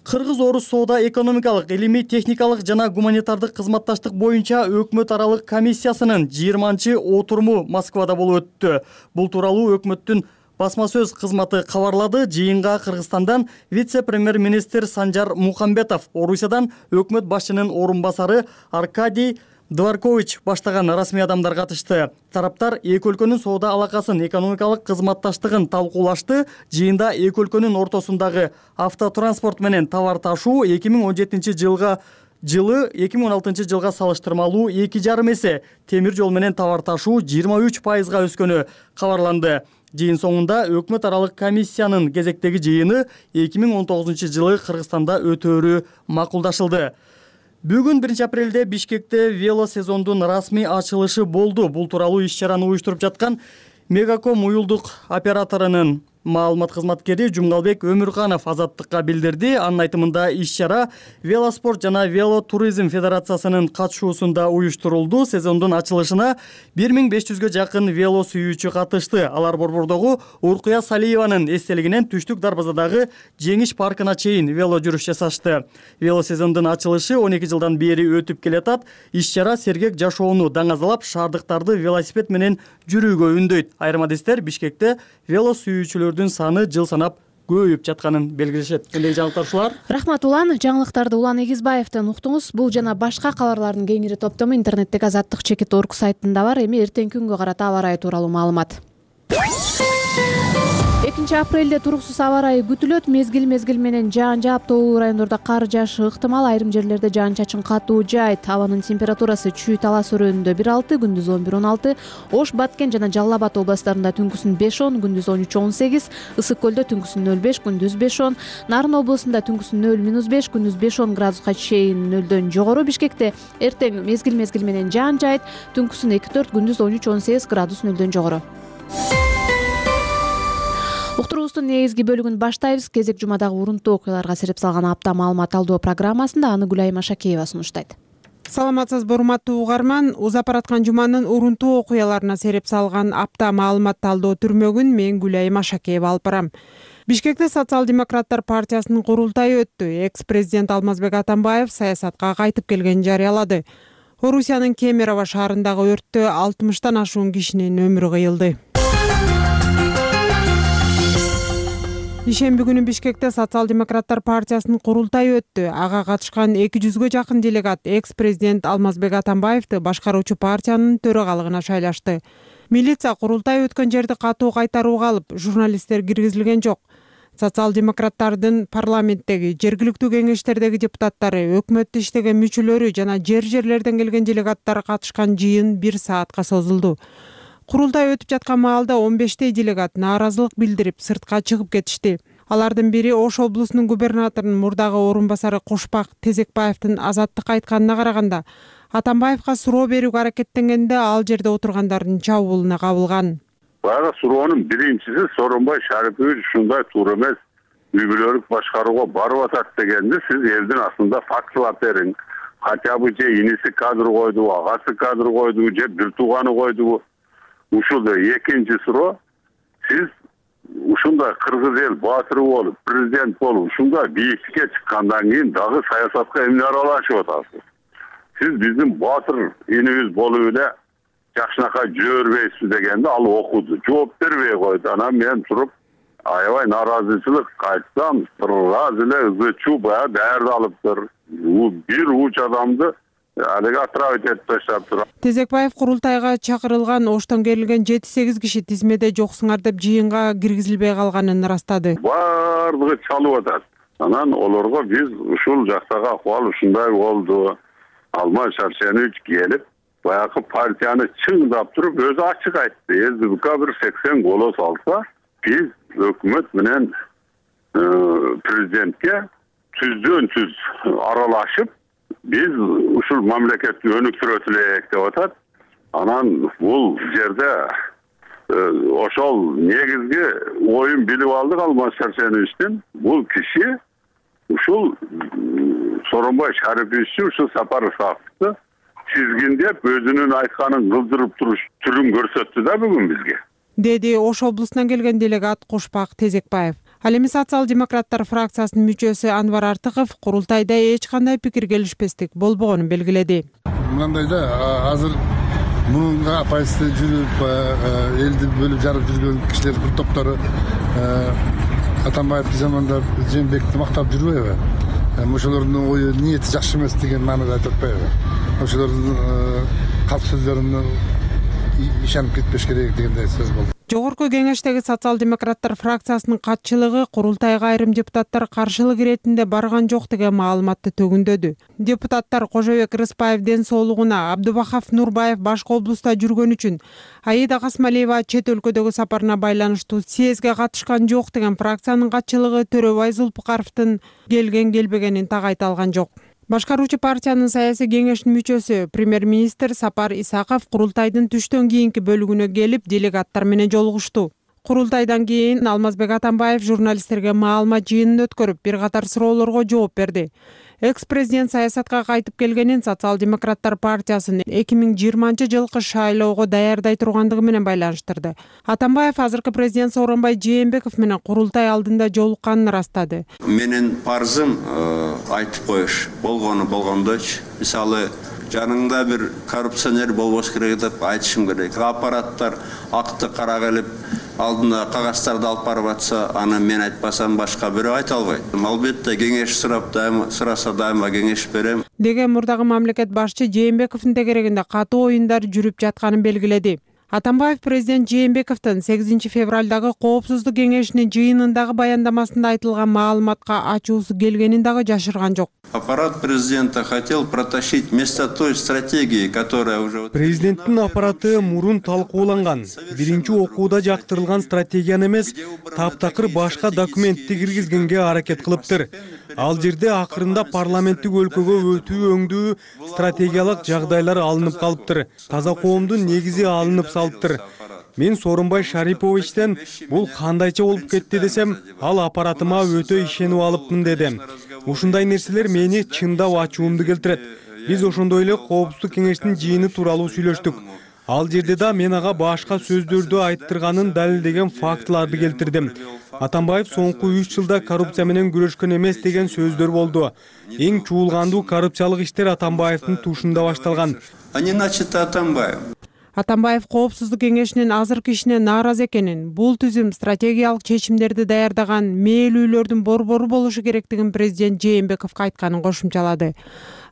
Кыргыз-орус соода экономикалык, илимий, техникалык жана гуманитардык кызматташтык боюнча өкмөт аралык комиссиясынын 20-отуруму Москвада болуп өттү. Бул тууралуу өкмөттүн басма сөз кызматы кабарлады. Жыйынга Кыргызстандан вице-премьер-министр Санжар Мухамбетов, Орусиядан өкмөт башчынын орун басары Аркадий Дворкович баштаган расмий адамдар катышты. Тараптар эки өлкөнүн соода алакасын, экономикалык кызматташтыгын талкуулашты. Жыйында эки өлкөнүн ортосундагы автотранспорт менен товар ташуу 2017-жылы 2016-жылга салыштырмалуу 2,5 эсе, темир жол менен товар ташуу 23%га өскөнү кабарланды. Жыйын соңунда өкмөт аралык комиссиянын кезектеги жыйыны 2019-жылы Кыргызстанда өтөөрү макулдашылды. Бүгүн 1 апрелде Бишкекте велосезондун расмий ачылышы болду. Бул тууралуу иш-чараны уюштуруп жаткан Мегаком уюлдук операторунун маалымат кызматкери Жумгалбек Өмүрканов Азаттыкка билдирди. Анын айтымында иш-чара Велоспорт жана Велотуризм федерациясынын катышуусунда уюштурулду. Сезондун ачылышына 1500гө жакын вело сүйүүчү катышты. Алар Борбордогу Уркуя Салиеванын эстелигинен Түштүк Дарбазадагы Жеңиш паркына чейин вело жүрүш жасашты. Велосезондун ачылышы 12 жылдан бери өтүп келатат. Иш-чара сергек жашоону даңазалап, шаардыктарды велосипед менен жүрүүгө үндөйт. Айрым адистер Бишкекте вело сүйүүчүлөр саны жыл санап көбөйүп жатканын белгилешет. Эндеги жаңылыктар ушулар. Рахмат Улан. Жаңылыктарды Улан Эгизбаевден уктуңуз. Бул жана башка кабарлардын кеңири топтому интернеттеги azattik.org сайтында бар. Эми эртеңки күнгө карата аба ырайы тууралуу маалымат. 2 апрелде туруксуз аба ырайы күтүлөт. Мезгил менен жаан жаап, тоолуу райондордо кар жаашы ыктымал. Айрым жерлерде жаан-чачын катуу жаайт. Абанын температурасы Чүй Талас өрөөнүндө 1-6, күндүз 11-16, Ош, Баткен жана Жалал Абад областарында түнкүсүн 5-10, күндүз 13-18, Ысык көлдө түнкүсүн 0-5, күндүз 5-10, Нарын облусунда түнкүсүн 0-5, күндүз 5-10 градуска чейин 0дөн жогору. Бишкекте эртең мезгил менен жаан жаайт, түнкүсүн 2-4, күндүз 13-18 градус 0дөн жогору. Уктуруубуздун негизги бөлүгүн баштайбыз. Кезек жумадагы урунттуу окуяларга сереп салган апта маалымат алуу программасында аны Гүлайым Ашакеева сунуштайт. Саламатсызбы урматтуу угарман. Узап бараткан жуманын урунттуу окуяларына сереп салган апта маалымат талдоо түрмөгүн мен Гүлайым Ашакеева алып барам. Бишкекте Социал-демократтар партиясынын курултайы өттү. Экс-президент Алмазбек Атамбаев саясатка кайтып келгенин жарыялады. Орусиянын Кемерово шаарындагы өрттө 60тан ашуун кишинин өмүрү кыйылды. Ишемби күнү Бишкекте Социал-демократтар партиясынын курултайы өттү. Ага катышкан 200гө жакын делегат экс-президент Алмазбек Атамбаевди башкаруучу партиянын төрагалыгына шайлашты. Милиция курултай өткөн жерди катуу кайтарууга алып, журналисттер киргизилген жок. Социал-демократтардын парламенттеги, жергиликтүү кеңештердеги депутаттары, өкмөттө иштеген мүчөлөрү жана жерлерден келген делегаттар катышкан жыйын 1 саатка созулду. Курултай өтүп жаткан маалда 15 делегат нааразылык билдирип сыртка чыгып кетишти. Алардын бири Ош облусунун губернаторунун мурдагы орун басары Кошпак Тезекбаевдин Азаттыкка айтканына караганда, Атамбаевга суроо берүүгө аракеттенгенде ал жерде отургандардын чабуулуна кабылган. Баягы суроонун биринчиси Сооронбай Шарипович ушундай туура эмес үй бүлөлүк башкарууга барып атат дегенди сиз элдин астында фактылап бериң. Хотя бы же иниси кадр койдубу, агасы кадр койдубу, же бир тууганы койдубу. Ушул экинчи суроо, сиз ушундай кыргыз эл баатыры болуп, президент болуп, ушундай бийиктикке чыккандан кийин дагы саясатка эмне аралашып атасыз? Сиз биздин баатыр инибиз болуп эле жакшынакай жүрө бербейсизби дегенде ал окуду, жооп бербей койду. Анан мен туруп аябай нааразычылык айтсам, сразу эле ызы-чуу баягы даярдалыптыр. Бир уч адамды алега отправить этип таштаптыр. Тезекбаев курултайга чакырылган Оштон келген 7-8 киши тизмеде жоксуңар деп жыйынга киргизилбей калганын ырастады. Бардыгы чалып атат. Анан олорго биз ушул жактагы акыбал ушундай болду. Алмаз Шаршенович келип, баягы партияны чыңдап туруп өзү ачык айтты. СДПК бир 80 голос алса, биз өкмөт менен президентке түздөн түз аралашып, биз ушул мамлекетти өнүктүрөт элек деп атат. Анан бул жерде ошол негизги оюн билип алдык Алмаз Шаршеновичтин. Бул киши ушул Сооронбай Шариповичти ушул Сапар Исаковду тизгиндеп өзүнүн айтканын кылдырып туруш түрүн көрсөттү да бүгүн бизге. Деди Ош облусунан келген делегат Кошпак Тезекбаев. Ал эми Социал-демократтар фракциясынын мүчөсү Анвар Артыков курултайда эч кандай пикир келишпестик болбогонун белгиледи. Мындай да азыр мунунга оппозиция жүрүп, элди бөлүп жарып жүргөн кишилер бир топтору Атамбаевди жамандап, Жээнбекти мактап жүрбөйбү? Ошолордун ою ниети жакшы эмес деген маанада айтып атпайбы? Ошолордун калп сөздөрүнө ишенип кетпеш керек дегендей сөз болду. Жогорку кеңештеги социал-демократтар фракциясынын катчылыгы курултайга айрым депутаттар каршылык иретинде барган жок деген маалыматты төгүндөдү. Депутаттар Кожобек Рыспаев ден соолугуна, Абдубахав Нурбаев башка облуста жүргөн үчүн, Аида Касмалиева чет өлкөдөгү сапарына байланыштуу съездге катышкан жок деген фракциянын катчылыгы Төрөбай Зулпукаровдун келген-келбегенин так айта алган жок. Башкаруучу партиянын саясий кеңешинин мүчөсү премьер-министр Сапар Исаков курултайдын түштөн кийинки бөлүгүнө келип делегаттар менен жолугушту. Курултайдан кийин Алмазбек Атамбаев журналисттерге маалымат жыйынын өткөрүп, бир катар суроолорго жооп берди. Экс-президент саясатка кайтып келгенин Социал-демократтар партиясын 2020-жылкы шайлоого даярдай тургандыгы менен байланыштырды. Атамбаев азыркы президент Сооронбай Жээнбеков менен курултай алдында жолукканын ырастады. Менин парзым айтып коюш, болгону болгондойчу. Мисалы, жаныңда бир коррупционер болбош керек деп айтышым керек. Аппараттар акты кара келип, алдына кагаздарды алып барып атса, аны мен айтпасам башка бирөө айта албайт. Албетте кеңеш сураса дайыма кеңеш берем. Деген мурдагы мамлекет башчы Жээнбековдун тегерегинде катуу оюндар жүрүп жатканын белгиледи. Атамбаев президент Жээнбековдун 8 февралдагы коопсуздук кеңешинин жыйынындагы баяндамасында айтылган маалыматка ачуусу келгенин дагы жашырган жок. Аппарат президента хотел протащить вместо той стратегии, которая уже... Президенттин аппараты мурун талкууланган, биринчи окууда жактырылган стратегияны эмес, таптакыр башка документти киргизгенге аракет кылыптыр. Ал жерде акырында парламенттик өлкөгө өтүү өңдүү стратегиялык жагдайлар алынып калыптыр. Таза коомдун негизи алынып салыптыр. Мен Сооронбай Шариповичтен бул кандайча болуп кетти десем, ал аппаратыма өтө ишенип алыпмын деди. Ушундай нерселер мени чындап ачуумду келтирет. Биз ошондой эле коопсуздук кеңештин жыйыны тууралуу сүйлөштүк. Ал жерде да мен ага башка сөздөрдү айттырганын далилдеген фактыларды келтирдим. Атамбаев соңку 3 жылда коррупция менен күрөшкөн эмес деген сөздөр болду. Эң чуулгандуу коррупциялык иштер Атамбаевдин тушунда башталган. А не начато Атамбаев. Атамбаев коопсуздук кеңешинин азыркы ишине нааразы экенин, бул түзүм стратегиялык чечимдерди даярдаган мээлүүлөрдүн борбору болушу керектигин президент Жээнбековго айтканын кошумчалады.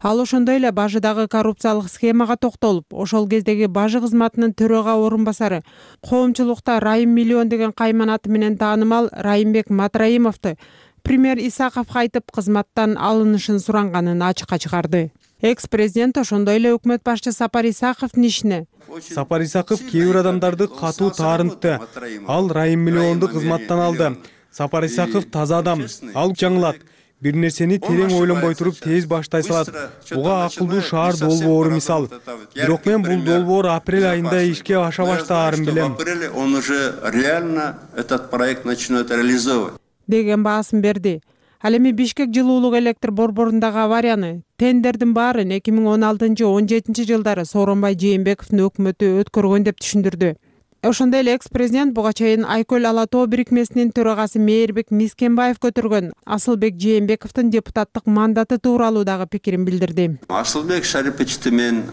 Ал ошондой эле бажыдагы коррупциялык схемага токтолуп, ошол кездеги бажы кызматынын төрага орун басары, коомчулукта Райым Миллион деген кайман аты менен таанымал Райымбек Матраимовду премьер Исаковго айтып кызматтан алынышын суранганын ачыкка чыгарды. Экс-президент ошондой эле өкмөт башчы Сапар Исаковдун ишине. Сапар Исаков кээ бир адамдарды катуу таарынтты. Ал Райым Миллионду кызматтан алды. Сапар Исаков таза адам. Ал жаңылат. Бир нерсени терең ойлонбой туруп тез баштай салат. Буга акылдуу шаар долбоору мисал. Бирок мен бул долбоор апрель айында ишке аша баштаарын билем. Он уже реально этот проект начнет реализовывать. Деген баасын берди. Ал эми Бишкек жылуулук электр борборундагы аварияны, тендердин баарын 2016-17 жылдары Сооронбай Жээнбековдун өкмөтү өткөргөн деп түшүндүрдү. Ошондой эле экс-президент буга чейин Айкөл Ала Тоо бирикмесинин төрагасы Мээрбек Мискенбаев көтөргөн Асылбек Жээнбековдун депутаттык мандаты тууралуу дагы пикирин билдирди. Асылбек Шариповичти мен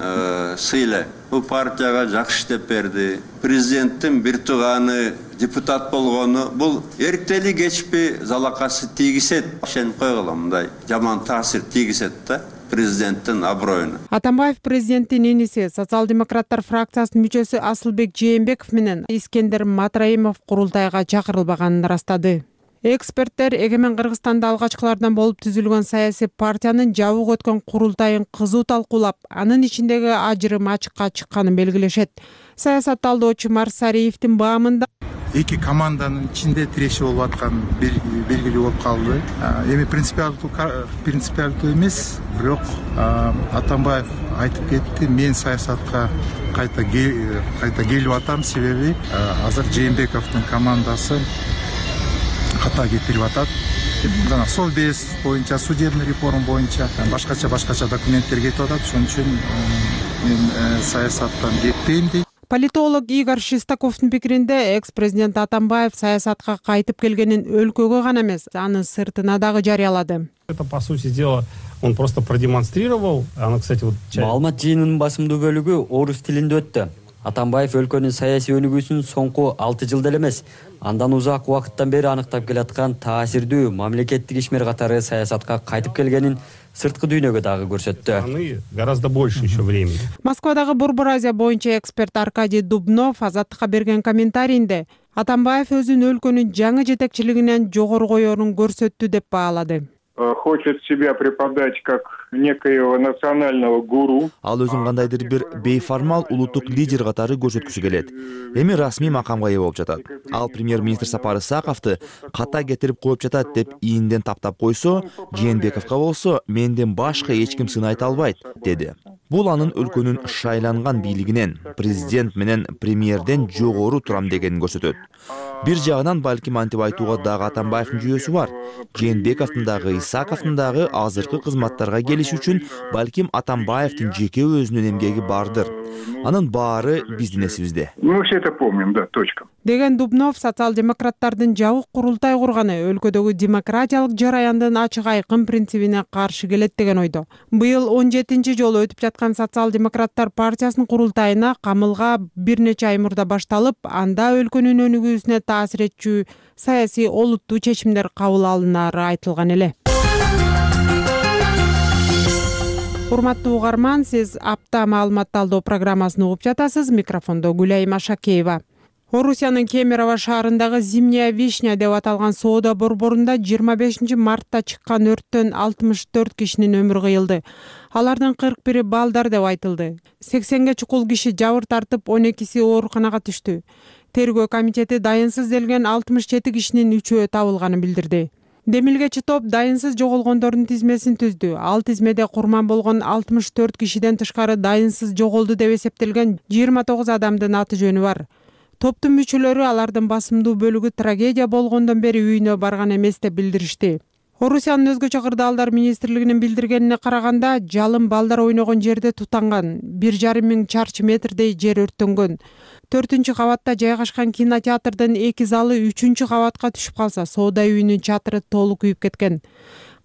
сыйлайм. Бул партияга жакшы иштеп берди. Президенттин бир тууганы депутат болгону бул эртели кечпи залакасы тийгизет. Ишенип койгула, мындай жаман таасир тийгизет да президенттин аброюна. Атамбаев президенттин иниси социал-демократтар фракциясынын мүчөсү Асылбек Жээнбеков менен Искендер Матраимов курултайга чакырылбаганын ырастады. Эксперттер Эгемен Кыргызстанда алгачкылардан болуп түзүлгөн саясий партиянын жабык өткөн курултайын кызуу талкуулап, анын ичиндеги ажырым ачыкка чыкканын белгилешет. Саясат талдоочу Марсариевдин баамында эки команданын ичинде тирешүү болуп аткан белгилүү болуп калды. Эми принципиалдуу эмес, бирок Атамбаев айтып кетти, мен саясатка кайта келип атам, себеби азыр Жээнбековдун командасы ката кетирип атат. Жана Совбез боюнча, судебный реформа боюнча башкача документтер кетип атат. Ошон үчүн мен саясаттан кетпейм дейт. Политолог Игорь Шестаковдун пикиринде экс-президент Атамбаев саясатка кайтып келгенин өлкөгө гана эмес, анын сыртына дагы жарыялады. Это, по сути дела, он просто продемонстрировал. Она, кстати, вот... Маалымат жыйынынын басымдуу бөлүгү орус тилинде өттү. Атамбаев өлкөнүн саясий өнүгүүсүн соңку 6 жылда эле эмес, андан узак убакыттан бери аныктап келаткан таасирдүү мамлекеттик ишмер катары саясатка кайтып келгенин сырткы дүйнөгө дагы көрсөттү. Гораздо больше еще времени. Москвадагы Борбор Азия боюнча эксперт Аркадий Дубнов Азаттыкка берген комментарийинде Атамбаев өзүн өлкөнүн жаңы жетекчилигинен жогору коерун көрсөттү деп баалады. Хочет себя преподать как некоего национального гуру. Ал өзүн кандайдыр бир бейформал улуттук лидер катары көрсөткүсү келет. Эми расмий макамга ээ болуп жатат. Ал премьер-министр Сапар Исаковду ката кетирип коюп жатат деп ийинден таптап койсо, Жээнбековго болсо менден башка эч ким сынайта албайт, деди. Бул анын өлкөнүн шайланган бийлигинен, президент менен премьерден жогору турам дегенин көрсөтөт. Бир жагынан балким антип айтууга дагы Атамбаевдин жүйөсү бар. Жээнбековдун дагы, Исаковдун дагы азыркы кызматтарга келиш үчүн балким Атамбаевдин жеке өзүнүн эмгеги бардыр. Анын баары биздин эсибизде. Мы все это помним, да, точка. Деген Дубнов социал-демократтардын жабык курултай курганы өлкөдөгү демократиялык жараяндын ачык айкын принцибине каршы келет деген ойдо. Быйыл 17-нчи жолу өтүп жаткан социал-демократтар партиясынын курултайына камылга бир нече ай мурда башталып, анда өлкөнүн өнүгүүсүнө таасир этчү саясий олуттуу чечимдер кабыл алынары айтылган эле. Урматтуу угарман, сиз апта маалымат талдоо программасын угуп жатасыз. Микрофондо Гүлайым Ашакеева. Орусиянын Кемерово шаарындагы Зимняя вишня деп аталган соода борборунда 25 мартта чыккан өрттөн 64 кишинин өмүрү кыйылды. Алардын 41-и балдар деп айтылды. 80ге чукул киши жабыр тартып, 12си ооруканага түштү. Тергөө комитети дайынсыз делген 67 кишинин 3-өө табылганын билдирди. Демилгечи топ дайынсыз жоголгондордун тизмесин түздү. Ал тизмеде курман болгон 64 кишиден тышкары дайынсыз жоголду деп эсептелген 29 адамдын аты жөнү бар. Топтун мүчөлөрү алардын басымдуу бөлүгү трагедия болгондон бери үйүнө барган эмес деп билдиришти. Орусиянын өзгөчө кырдаалдар министрлигинин билдиргенине караганда, жалын балдар ойногон жерде тутанган. 1,5 миң чарчы метрдей жер өрттөнгөн. 4-кабатта жайгашкан кинотеатрдын 2 залы 3-кабатка түшүп калса, соода үйүнүн чатыры толук күйүп кеткен.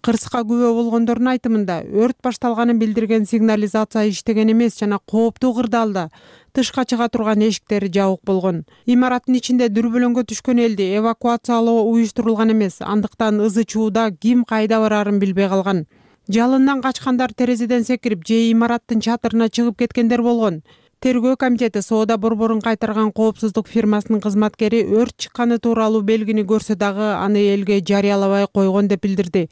Кырсыкка күбө болгондордун айтымында, өрт башталганын билдирген сигнализация иштеген эмес жана кооптуу кырдаалда тышка чыга турган эшиктери жабык болгон. Имараттын ичинде дүрбөлөңгө түшкөн элди эвакуациялоо уюштурулган эмес, андыктан ызы чууда ким кайда барарын билбей калган. Жалындан качкандар терезеден секирип, же имараттын чатырына чыгып кеткендер болгон. Тергөө комитети соода борборун кайтарган коопсуздук фирмасынын кызматкери өрт чыкканы тууралуу белгини көрсө дагы аны элге жарыялабай койгон деп билдирди.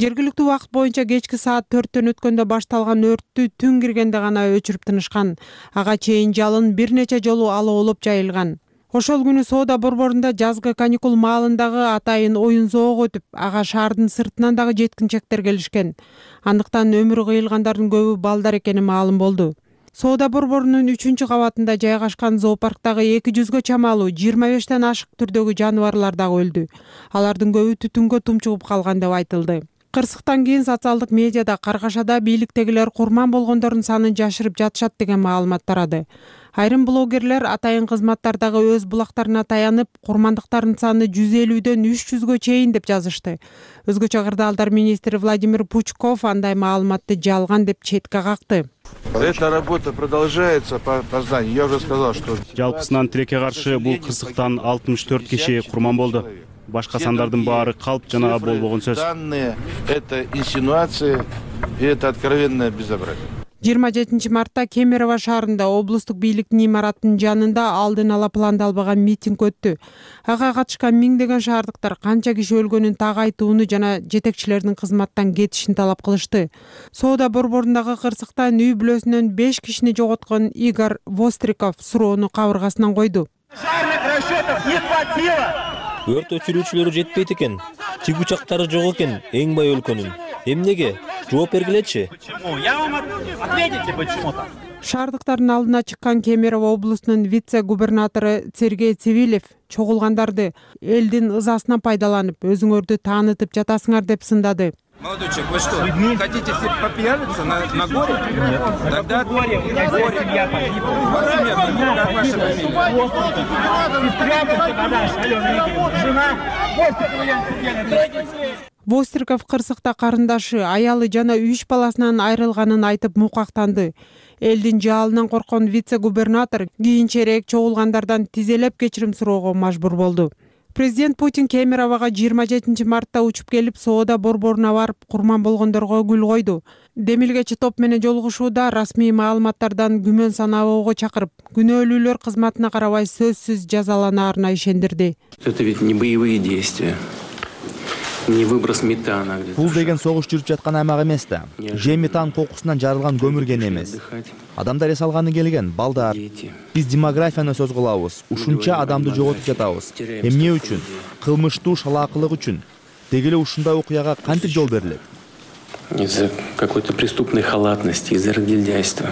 Жергиликтүү убакыт боюнча кечки саат 4-төн өткөндө башталган өрттү түн киргенде гана өчүрүп тынышкан. Ага чейин жалын бир нече жолу алоолоп жайылган. Ошол күнү соода борборунда жазгы каникул маалындагы атайын оюн зоого өтүп, ага шаардын сыртынан дагы жеткинчектер келишкен. Андыктан өмүрү кыйылгандардын көбү балдар экени маалым болду. Соода борборунун 3-кабатында жайгашкан зоопарктагы 200гө чамалуу 25тен ашык түрдөгү жаныбарлар дагы өлдү. Алардын көбү түтүнгө тумчугуп калган деп айтылды. Кырсыктан кийин социалдык медиада Каргашада бийликтегилер курман болгондордун санын жашырып жатышат деген маалымат тарады. Айрым блогерлер атайын кызматтардагы өз булактарына таянып, курмандыктардын саны 150дөн 300гө чейин деп жазышты. Өзгөчө кырдаалдар министри Владимир Пучков андай маалыматты жалган деп четке какты. Эта работа продолжается по зданию. Я уже сказал, что жалпысынан тилекке каршы бул кырсыктан 64 киши курман болду. Башка сандардын баары калп жана болбогон сөз. Данные это инсинуации и это откровенное безобразие. 27 мартта Кемерово шаарында облустук бийликтин имараттын жанында алдын ала пландалбаган митинг өттү. Ага катышкан миңдеген шаардыктар канча киши өлгөнүн так айтууну жана жетекчилердин кызматтан кетишин талап кылышты. Соода борборундагы кырсыктан үй бүлөсүнөн 5 кишини жоготкон Игорь Востриков суроону кабыргасынан койду. Өрт өчүрүүчүлөрү жетпейт экен. Тиг учактары жок экен, эң бай өлкөнүн. Эмнеге? Жооп бергилечи. Шаардыктардын алдына чыккан Кемерово облусунун вице-губернатору Сергей Цивилев чогулгандарды элдин ызасынан пайдаланып, өзүңөрдү таанытып жатасыңар деп сындады. Молодой человек, вы что, хотите все попьяниться на горе? Нет. Тогда горе, у меня горе. Семья погибла. У вас семья погибла, как ваша фамилия? Востриков кырсыкта карындашы, аялы жана 3 баласынан айрылганын айтып мукактанды. Элдин жалынан корккон вице-губернатор кийинчерээк чогулгандардан тизелеп кечирим суроого мажбур болду. Президент Путин Кемеровага 27 мартта учуп келип, соода борборуна барып, курман болгондорго гүл койду. Демилгечи топ менен жолугушууда расмий маалыматтардан күмөн санабоого чакырып, күнөөлүүлөр кызматына карабай сөзсүз жазаланаарына ишендирди. Это ведь не боевые действия. Не выброс метана. Бул деген согуш жүрүп жаткан аймак эмес да. Же метан кокусунан жарылган көмүрген эмес. Адамдар эс алганы келген, балдар. Биз демографияны сөз кылабыз. Ушунча адамды жоготуп жатабыз. Эмне үчүн? Кылмыштуу шалаакылык үчүн. Деги эле ушундай окуяга кантип жол берилет? Из-за какой-то преступной халатности, из-за разгильдяйства.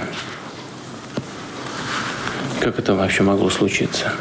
Как это вообще могло случиться?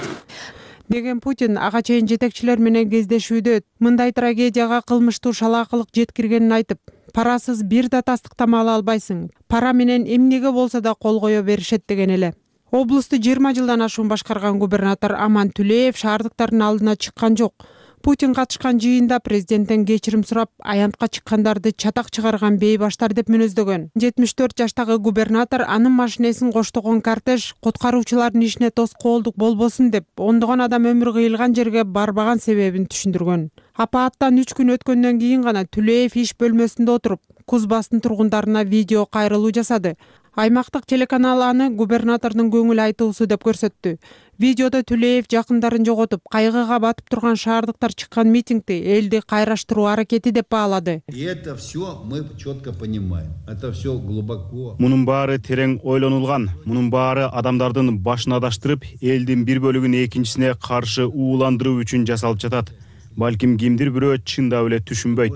Деген Путин ага чейин жетекчилер менен кездешүүдө мындай трагедияга кылмыштуу шалаакылык жеткиргенин айтып, парасыз бир да тастыктама ала албайсың. Пара менен эмнеге болсо да кол кое беришет деген эле. Облусту 20 жылдан ашуун башкарган губернатор Аман Түлеев шаардыктардын алдына чыккан жок. Путин катышкан жыйында президенттен кечирим сурап, аянтка чыккандарды чатак чыгарган бейбаштар деп мүнөздөгөн. 74 жаштагы губернатор анын машинесин коштогон кортеж куткаруучулардын ишине тоскоолдук болбосун деп, ондогон адам өмүрү кыйылган жерге барбаган себебин түшүндүргөн. Апааттан 3 күн өткөндөн кийин гана Түлеев иш бөлмөсүндө отуруп, Кузбастын тургундарына видео кайрылуу жасады. Аймактык телеканал аны губернатордун көңүл айтуусу деп көрсөттү. Видеодо Түлеев жакындарын жоготуп, кайгыга батып турган шаардыктар чыккан митингди элди кайраштыруу аракети деп баалады. И это все мы четко понимаем. Это все глубоко. Мунун баары терең ойлонулган. Мунун баары адамдардын башын адаштырып, элдин бир бөлүгүн экинчисине каршы ууландыруу үчүн жасалып жатат. Балким кимдир бирөө чындап эле түшүнбөйт.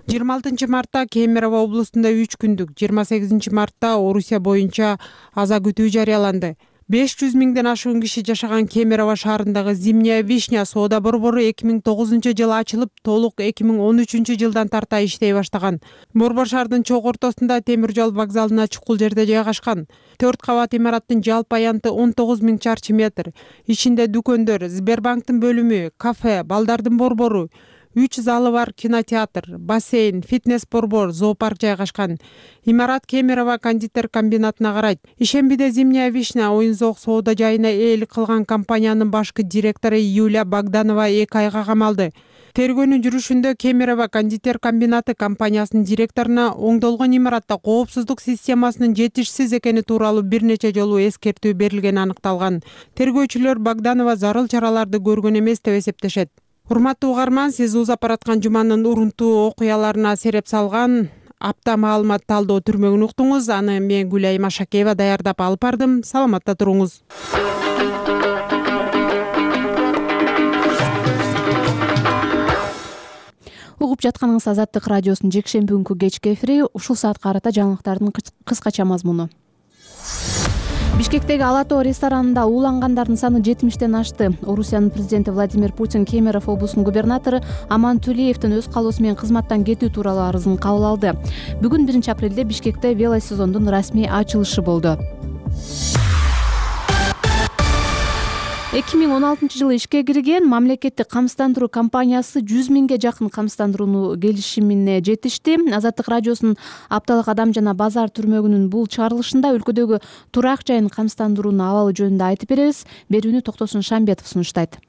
26 мартта Кемерово облустунда 3 күндүк, 28 мартта Орусия боюнча аза күтүү жарыяланды. 500 миңден ашуун киши жашаган Кемерово шаарындагы Зимняя Вишня соода борбору 2009-жылы ачылып, толук 2013-жылдан тарта иштей баштаган. Борбор шаардын чогуу ортосунда темир жол вокзалына чукул жерде жайгашкан. 4 кабат имараттын жалпы аянты 19 миң чарчы метр. Ичинде дүкөндөр, Сбербанктын бөлүмү, кафе, балдардын борбору, 3 залы бар кинотеатр, бассейн, фитнес-борбор, зоопарк жайгашкан. Имарат Кемерово кондитер комбинатына карайт. Ишембиде Зимняя Вишня оюн-зоок соода жайына ээлик кылган компаниянын башкы директору Юлия Богданова 2 айга камалды. Тергөөнүн жүрүшүндө Кемерово кондитер комбинаты компаниясынын директоруна оңдолгон имаратта коопсуздук системасынын жетишсиз экени тууралуу бир нече жолу эскертүү берилгени аныкталган. Тергөөчүлөр Богданова зарыл чараларды көргөн эмес деп эсептешет. Урматтуу угарман, сиз узап бараткан жуманын урунтуу окуяларына сереп салган апта маалымат талдоо түрмөгүн уктуңуз. Аны мен Гүлай Машакеева даярдап алып бардым. Саламатта туруңуз. Угуп жатканыңыз Азаттык радиосунун жекшемби күнкү кечки эфири. Ушул саатка карата жаңылыктардын кыскача мазмуну. Бишкектеги Ала Тоо ресторанында уулангандардын саны 70-тен ашты. Орусиянын президенти Владимир Путин Кемерово облусунун губернатору Аман Түлеевдин өз калоосу менен кызматтан кетүү тууралуу арызын кабыл алды. Бүгүн 1-апрелде Бишкекте велосезондун расмий ачылышы болду. 2016-жылы ишке кирген мамлекеттик камсыздандыруу компаниясы 100 миңге жакын камсыздандырууну келишимине жетишти. Азаттык радиосунун апталык адам жана базар түрмөгүнүн бул чыгарылышында өлкөдөгү турак жайын камсыздандыруунун абалы жөнүндө айтып беребиз. Берүүнү Токтосун Шамбетов сунуштайт.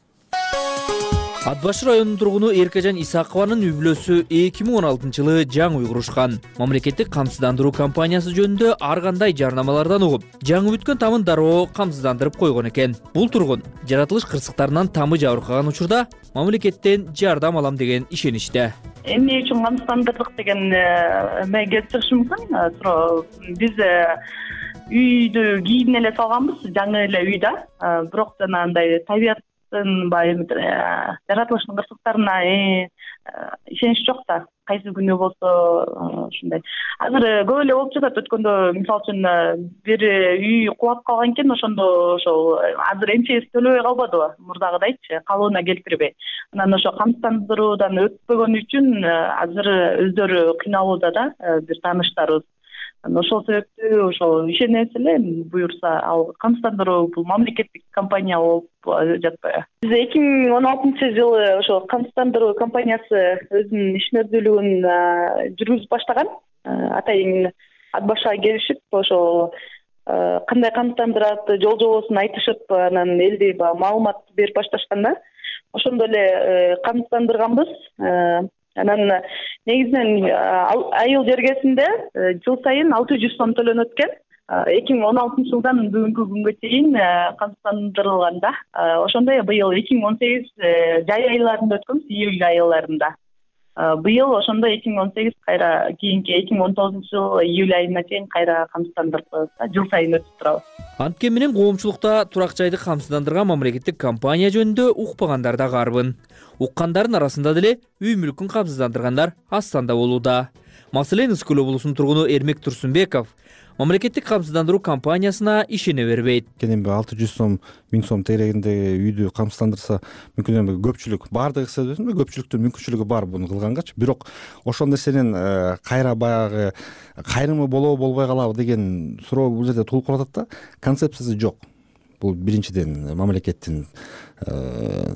Ат башы районунун тургуну Эркежан Исакованын үй бүлөсү 2016-жылы жаңы үй курушкан. Мамлекеттик камсыздандыруу компаниясы жөнүндө ар кандай жарнамалардан угуп, жаңы бүткөн тамын дароо камсыздандырып койгон экен. Бул тургун жаратылыш кырсыктарынан тамы жабыркаган учурда мамлекеттен жардам алам деген ишеничте. Эмне үчүн камсыздандырдык деген эме келип чыгышы мүмкүн. Биз үйдү кийин эле салганбыз, жаңы эле үй да. Бирок жана андай табият жаратылыштын кырсыктарына ишенич жок да, кайсы күнү болсо ушундай. Азыр көп эле болуп жатат. Өткөндө мисалы үчүн бир үй кулап калган экен, ошондо ошол азыр МЧС төлөбөй калбадыбы, мурдагыдайчы, калыбына келтирбей. Анан ошо камсыздандыруудан өтпөгөнү үчүн азыр өздөрү кыйналууда да, бир тааныштарыбыз. Ошол себептүү ошол ишенебиз эле, буюрса ал камсыздандыруу бул мамлекеттик компания болуп жатпайбы. Биз 2016-жылы ошо камсыздандыруу компаниясы өзүнүн ишмердүүлүгүн жүргүзүп баштаган. Атайын ат башыга келишип, ошо кандай камсыздандырат, жол жобосун айтышып, анан элди маалымат берип башташкан да. Ошондо эле камсыздандырганбыз. Анан негизинен айыл жергесинде жыл сайын 600 сом төлөнөт экен. 2016-жылдан бүгүнкү күнгө чейин камсыздандырылган да. Ошондой быйыл 2018 жай айларында өткөнбүз, июль айларында. Быйыл ошондо 2018 кайра кийинки 2019-жыл июль айына чейин кайра камсыздандырып, жыл сайын өтүп турабыз. Анткени менен коомчулукта турак жайды камсыздандырган мамлекеттик компания жөнүндө укпагандар да карбын. Уккандардын арасында деле үй мүлкүн камсыздандыргандар аз санда болууда. Маселен, Ысык Көл облусунун тургуну Эрмек Турсунбеков мамлекеттик камсыздандыруу компаниясына ишене бербейт. Эми 600 сом, 1000 сом тегерегиндеги үйдү камсыздандырса, мүмкүн эми көпчүлүк баардыгы эсептебесин, көпчүлүктүн мүмкүнчүлүгү бар буну кылгангачы. Бирок ошол нерсенин кайра баягы кайрымы болобу болбой калабы деген суроо бул жерде туулуп калат да. Концепциясы жок. Бул биринчиден мамлекеттин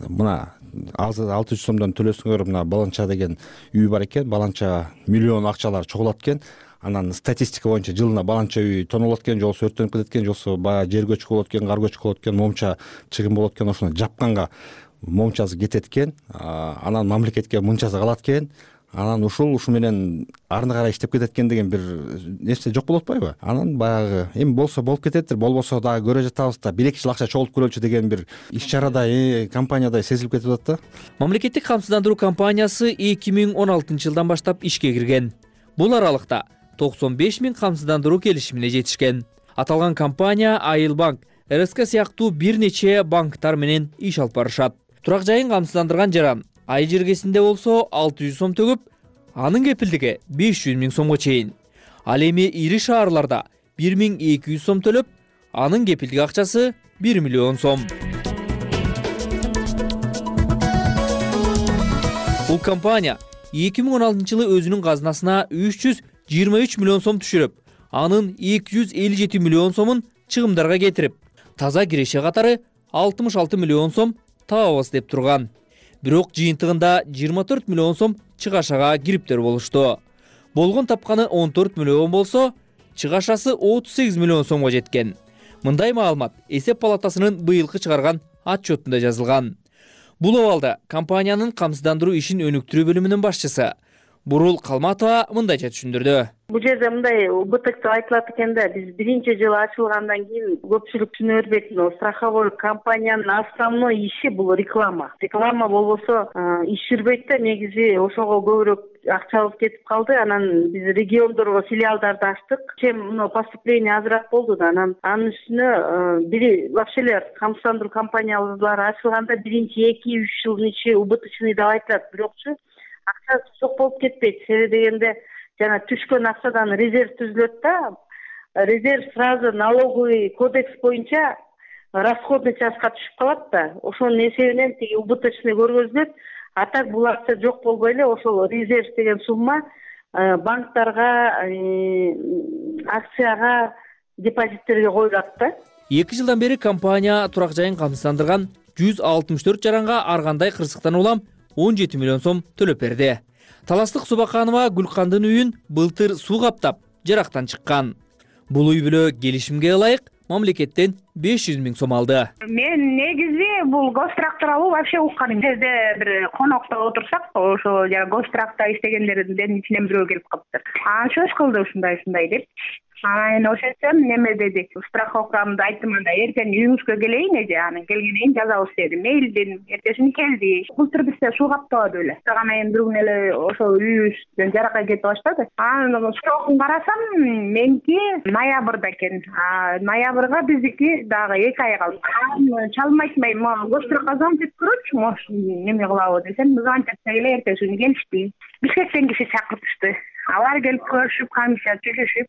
мына 600 сомдон төлөсөңөр, мына баланча деген үй бар экен, баланча миллион акчалар чогулат экен. Анан статистика боюнча жылына баланча үй тонолот экен, жолсу өрттөнүп кетет экен, жолсу баягы жер көчкү болот экен, кар көчкү болот экен, момча чыгым болот экен, ошону жапканга момчасы кетет экен, анан мамлекетке мынчасы калат экен. Анан ушу менен арына карай иштеп кетет экен деген бир нерсе жок болуп атпайбы? Анан баягы эми болсо болуп кететтир, болбосо дагы көрө жатабыз да, 1-2 жыл акча чогултуп көрөлүчү деген бир иш-чарадай, компаниядай сезилип кетип атат да. Мамлекеттик камсыздандыруу компаниясы 2016-жылдан баштап ишке кирген. Бул аралыкта 95 000 камсыздандыруу келишимине жетишкен. Аталган компания Айыл банк, РСК сыяктуу бир нече банктар менен иш алып барышат. Турак жайын камсыздандырган жаран ай жергесинде болсо 600 сом төгүп, анын кепилдиги 500 000 сомго чейин. Ал эми ири шаарларда 1200 сом төлөп, анын кепилдик акчасы 1 миллион сом. Бул компания 2016-жылы өзүнүн казынасына 323 миллион сом түшүрүп, анын 257 миллион сомун чыгымдарга кетирип, таза киреше катары 66 миллион сом табабыз деп турган. Бирок жыйынтыгында 24 миллион сом чыгашага кириптер болушту. Болгон тапканы 14 миллион болсо, чыгашасы 38 миллион сомго жеткен. Мындай маалымат Эсеп палатасынын быйылкы чыгарган отчетунда жазылган. Бул абалда компаниянын камсыздандыруу ишин өнүктүрүү бөлүмүнүн башчысы Бурул Калматова мындайча түшүндүрдү. Бул жерде мындай убыток деп айтылат экен да, биз биринчи жылы ачылгандан кийин көпчүлүк түшүнө бербейт. Страховой компаниянын основной иши бул реклама. Реклама болбосо иш жүрбөйт да, негизи ошого көбүрөөк акчабыз кетип калды. Анан биз региондорго филиалдарды ачтык. Чем поступление азыраак болду да, анан анын үстүнө бири вообще эле камсыздандыруу компаниялары ачылганда биринчи 2-3 жылдын ичи убыточный деп айтылат. Бирокчу акча жок болуп кетпейт. Себеби дегенде жана түшкөн акчадан резерв түзүлөт да. Резерв сразу налоговый кодекс боюнча расходный частька түшүп калат да. Ошонун эсебинен тиги убыточный көргөзүлөт. А так бул акча жок болбой эле ошол резерв деген сумма банктарга, акцияга, депозиттерге коюлат да. 2 жылдан бери компания турак жайын камсыздандырган 164 жаранга ар кандай кырсыктан улам 17 миллион сом төлөп берди. Таластык Субаканова Гүлкандын үйүн былтыр суу каптап, жарактан чыккан. Бул үй бүлө келишимге ылайык мамлекеттен 500 000 сом алды. Мен негизи бул гострак тууралуу вообще укканым. Жерде бир конокто отурсак, ошо гостракта иштегендердин ичинен бирөө келип калыптыр. Чөж кылды ушундай деп. анан ошон үчүн неме дедик, страховкамды айттым, анда эртең үйүңүзгө келейин эже, анан келгенден кийин жазабыз дедим. Мейли дедим. Эртесин келди. Былтыр бизде суу каптабады эле. Таган айын бир күнү эле ошол үйүбүздөн жаракай кетип баштады. Анан срокун карасам, меники ноябрда экен. Ноябрга биздики дагы 2 ай калды. Чалым айтмай, госпрокка звонить этип көрөчү, может, неме кылабы десем, звонить этсе эле эртеси күнү келишти. Бишкектен киши чакыртышты. Алар келип көрүшүп, комиссия түзүшүп,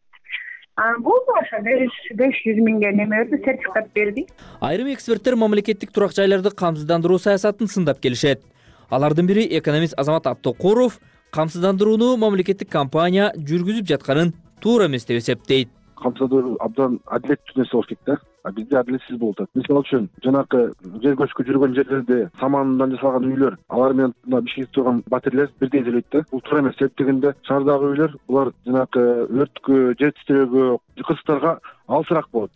болду ошо 500 миңге неме берди, сертификат берди. Айрым эксперттер мамлекеттик турак жайларды камсыздандыруу саясатын сындап келишет. Алардын бири экономист Азамат Абтокуров камсыздандырууну мамлекеттик компания жүргүзүп жатканын туура эмес деп эсептейт. Камсыздандыруу абдан адилеттүү нерсе болуш керек да. Бизде адилетсиз болуп атат. Мисалы үчүн жанакы жер көчкү жүргөн жерлерде самандан жасалган үйлөр, алар менен Бишкекте турган батирлер бирдей төлөйт да. Бул туура эмес. Себеп дегенде шаардагы үйлөр булар жанакы өрткө, жер титирөөгө, кырсыктарга алысыраак болот.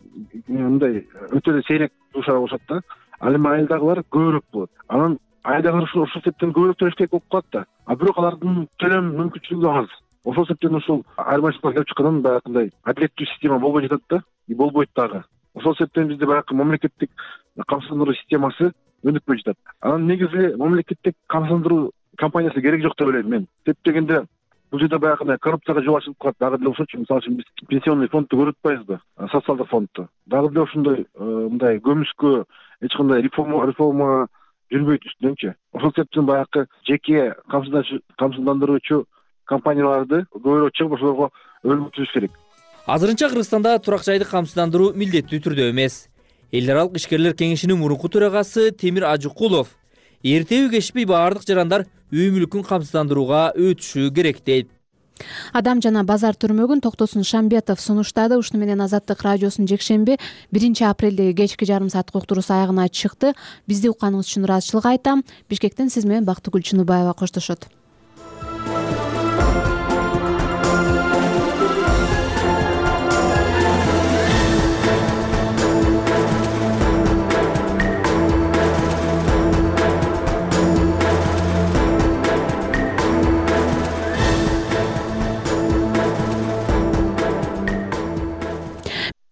Мындай өтө эле сейрек дуушар болушат да. Ал эми айылдагылар көбүрөөк болот. Анан айылдагылар ушул себептен көбүрөөк төлөш керек болуп калат да. Бирок алардын төлөм мүмкүнчүлүгү аз. Ошол себептен ушул айырмачылыктар келип чыккандан баягындай адилеттүү система болбой жатат да. Болбойт дагы. Ошол себептен бизде баягы мамлекеттик камсыздандыруу системасы өнүкпөй жатат. Анан негизи мамлекеттик камсыздандыруу компаниясы керек жок деп ойлойм мен. Себеп дегенде бул жерде баягы коррупцияга жол ачылып калат. Дагы деле ошол үчүн мисалы үчүн биз пенсионный фондду көрүп атпайбызбы? Социалдык фондду. Дагы деле ошондой мындай көмүскө эч кандай реформа жүрбөйт үстүнөнчү. Ошол себептен баягы жеке камсыздандыруучу компанияларды көбүрөөк чыгып ошолорго өлкө түзүш керек. Азырынча Кыргызстанда турак жайды камсыздандыруу милдеттүү түрдө эмес. Эл аралык ишкерлер кеңешинин мурунку төрагасы Темир Ажыкулов эртеби кечпей баардык жарандар үй мүлкүн камсыздандырууга өтүшү керек дейт. Адам жана базар түрмөгүн Токтосун Шамбетов сунуштады. Ушуну менен Азаттык радиосунун жекшемби 1 апрелдеги кечки жарым сааттык уктуруусу аягына чыкты. Бизди укканыңыз үчүн ыраазычылык айтам. Бишкектен сиз менен Бактыгүл Чыныбаева коштошот.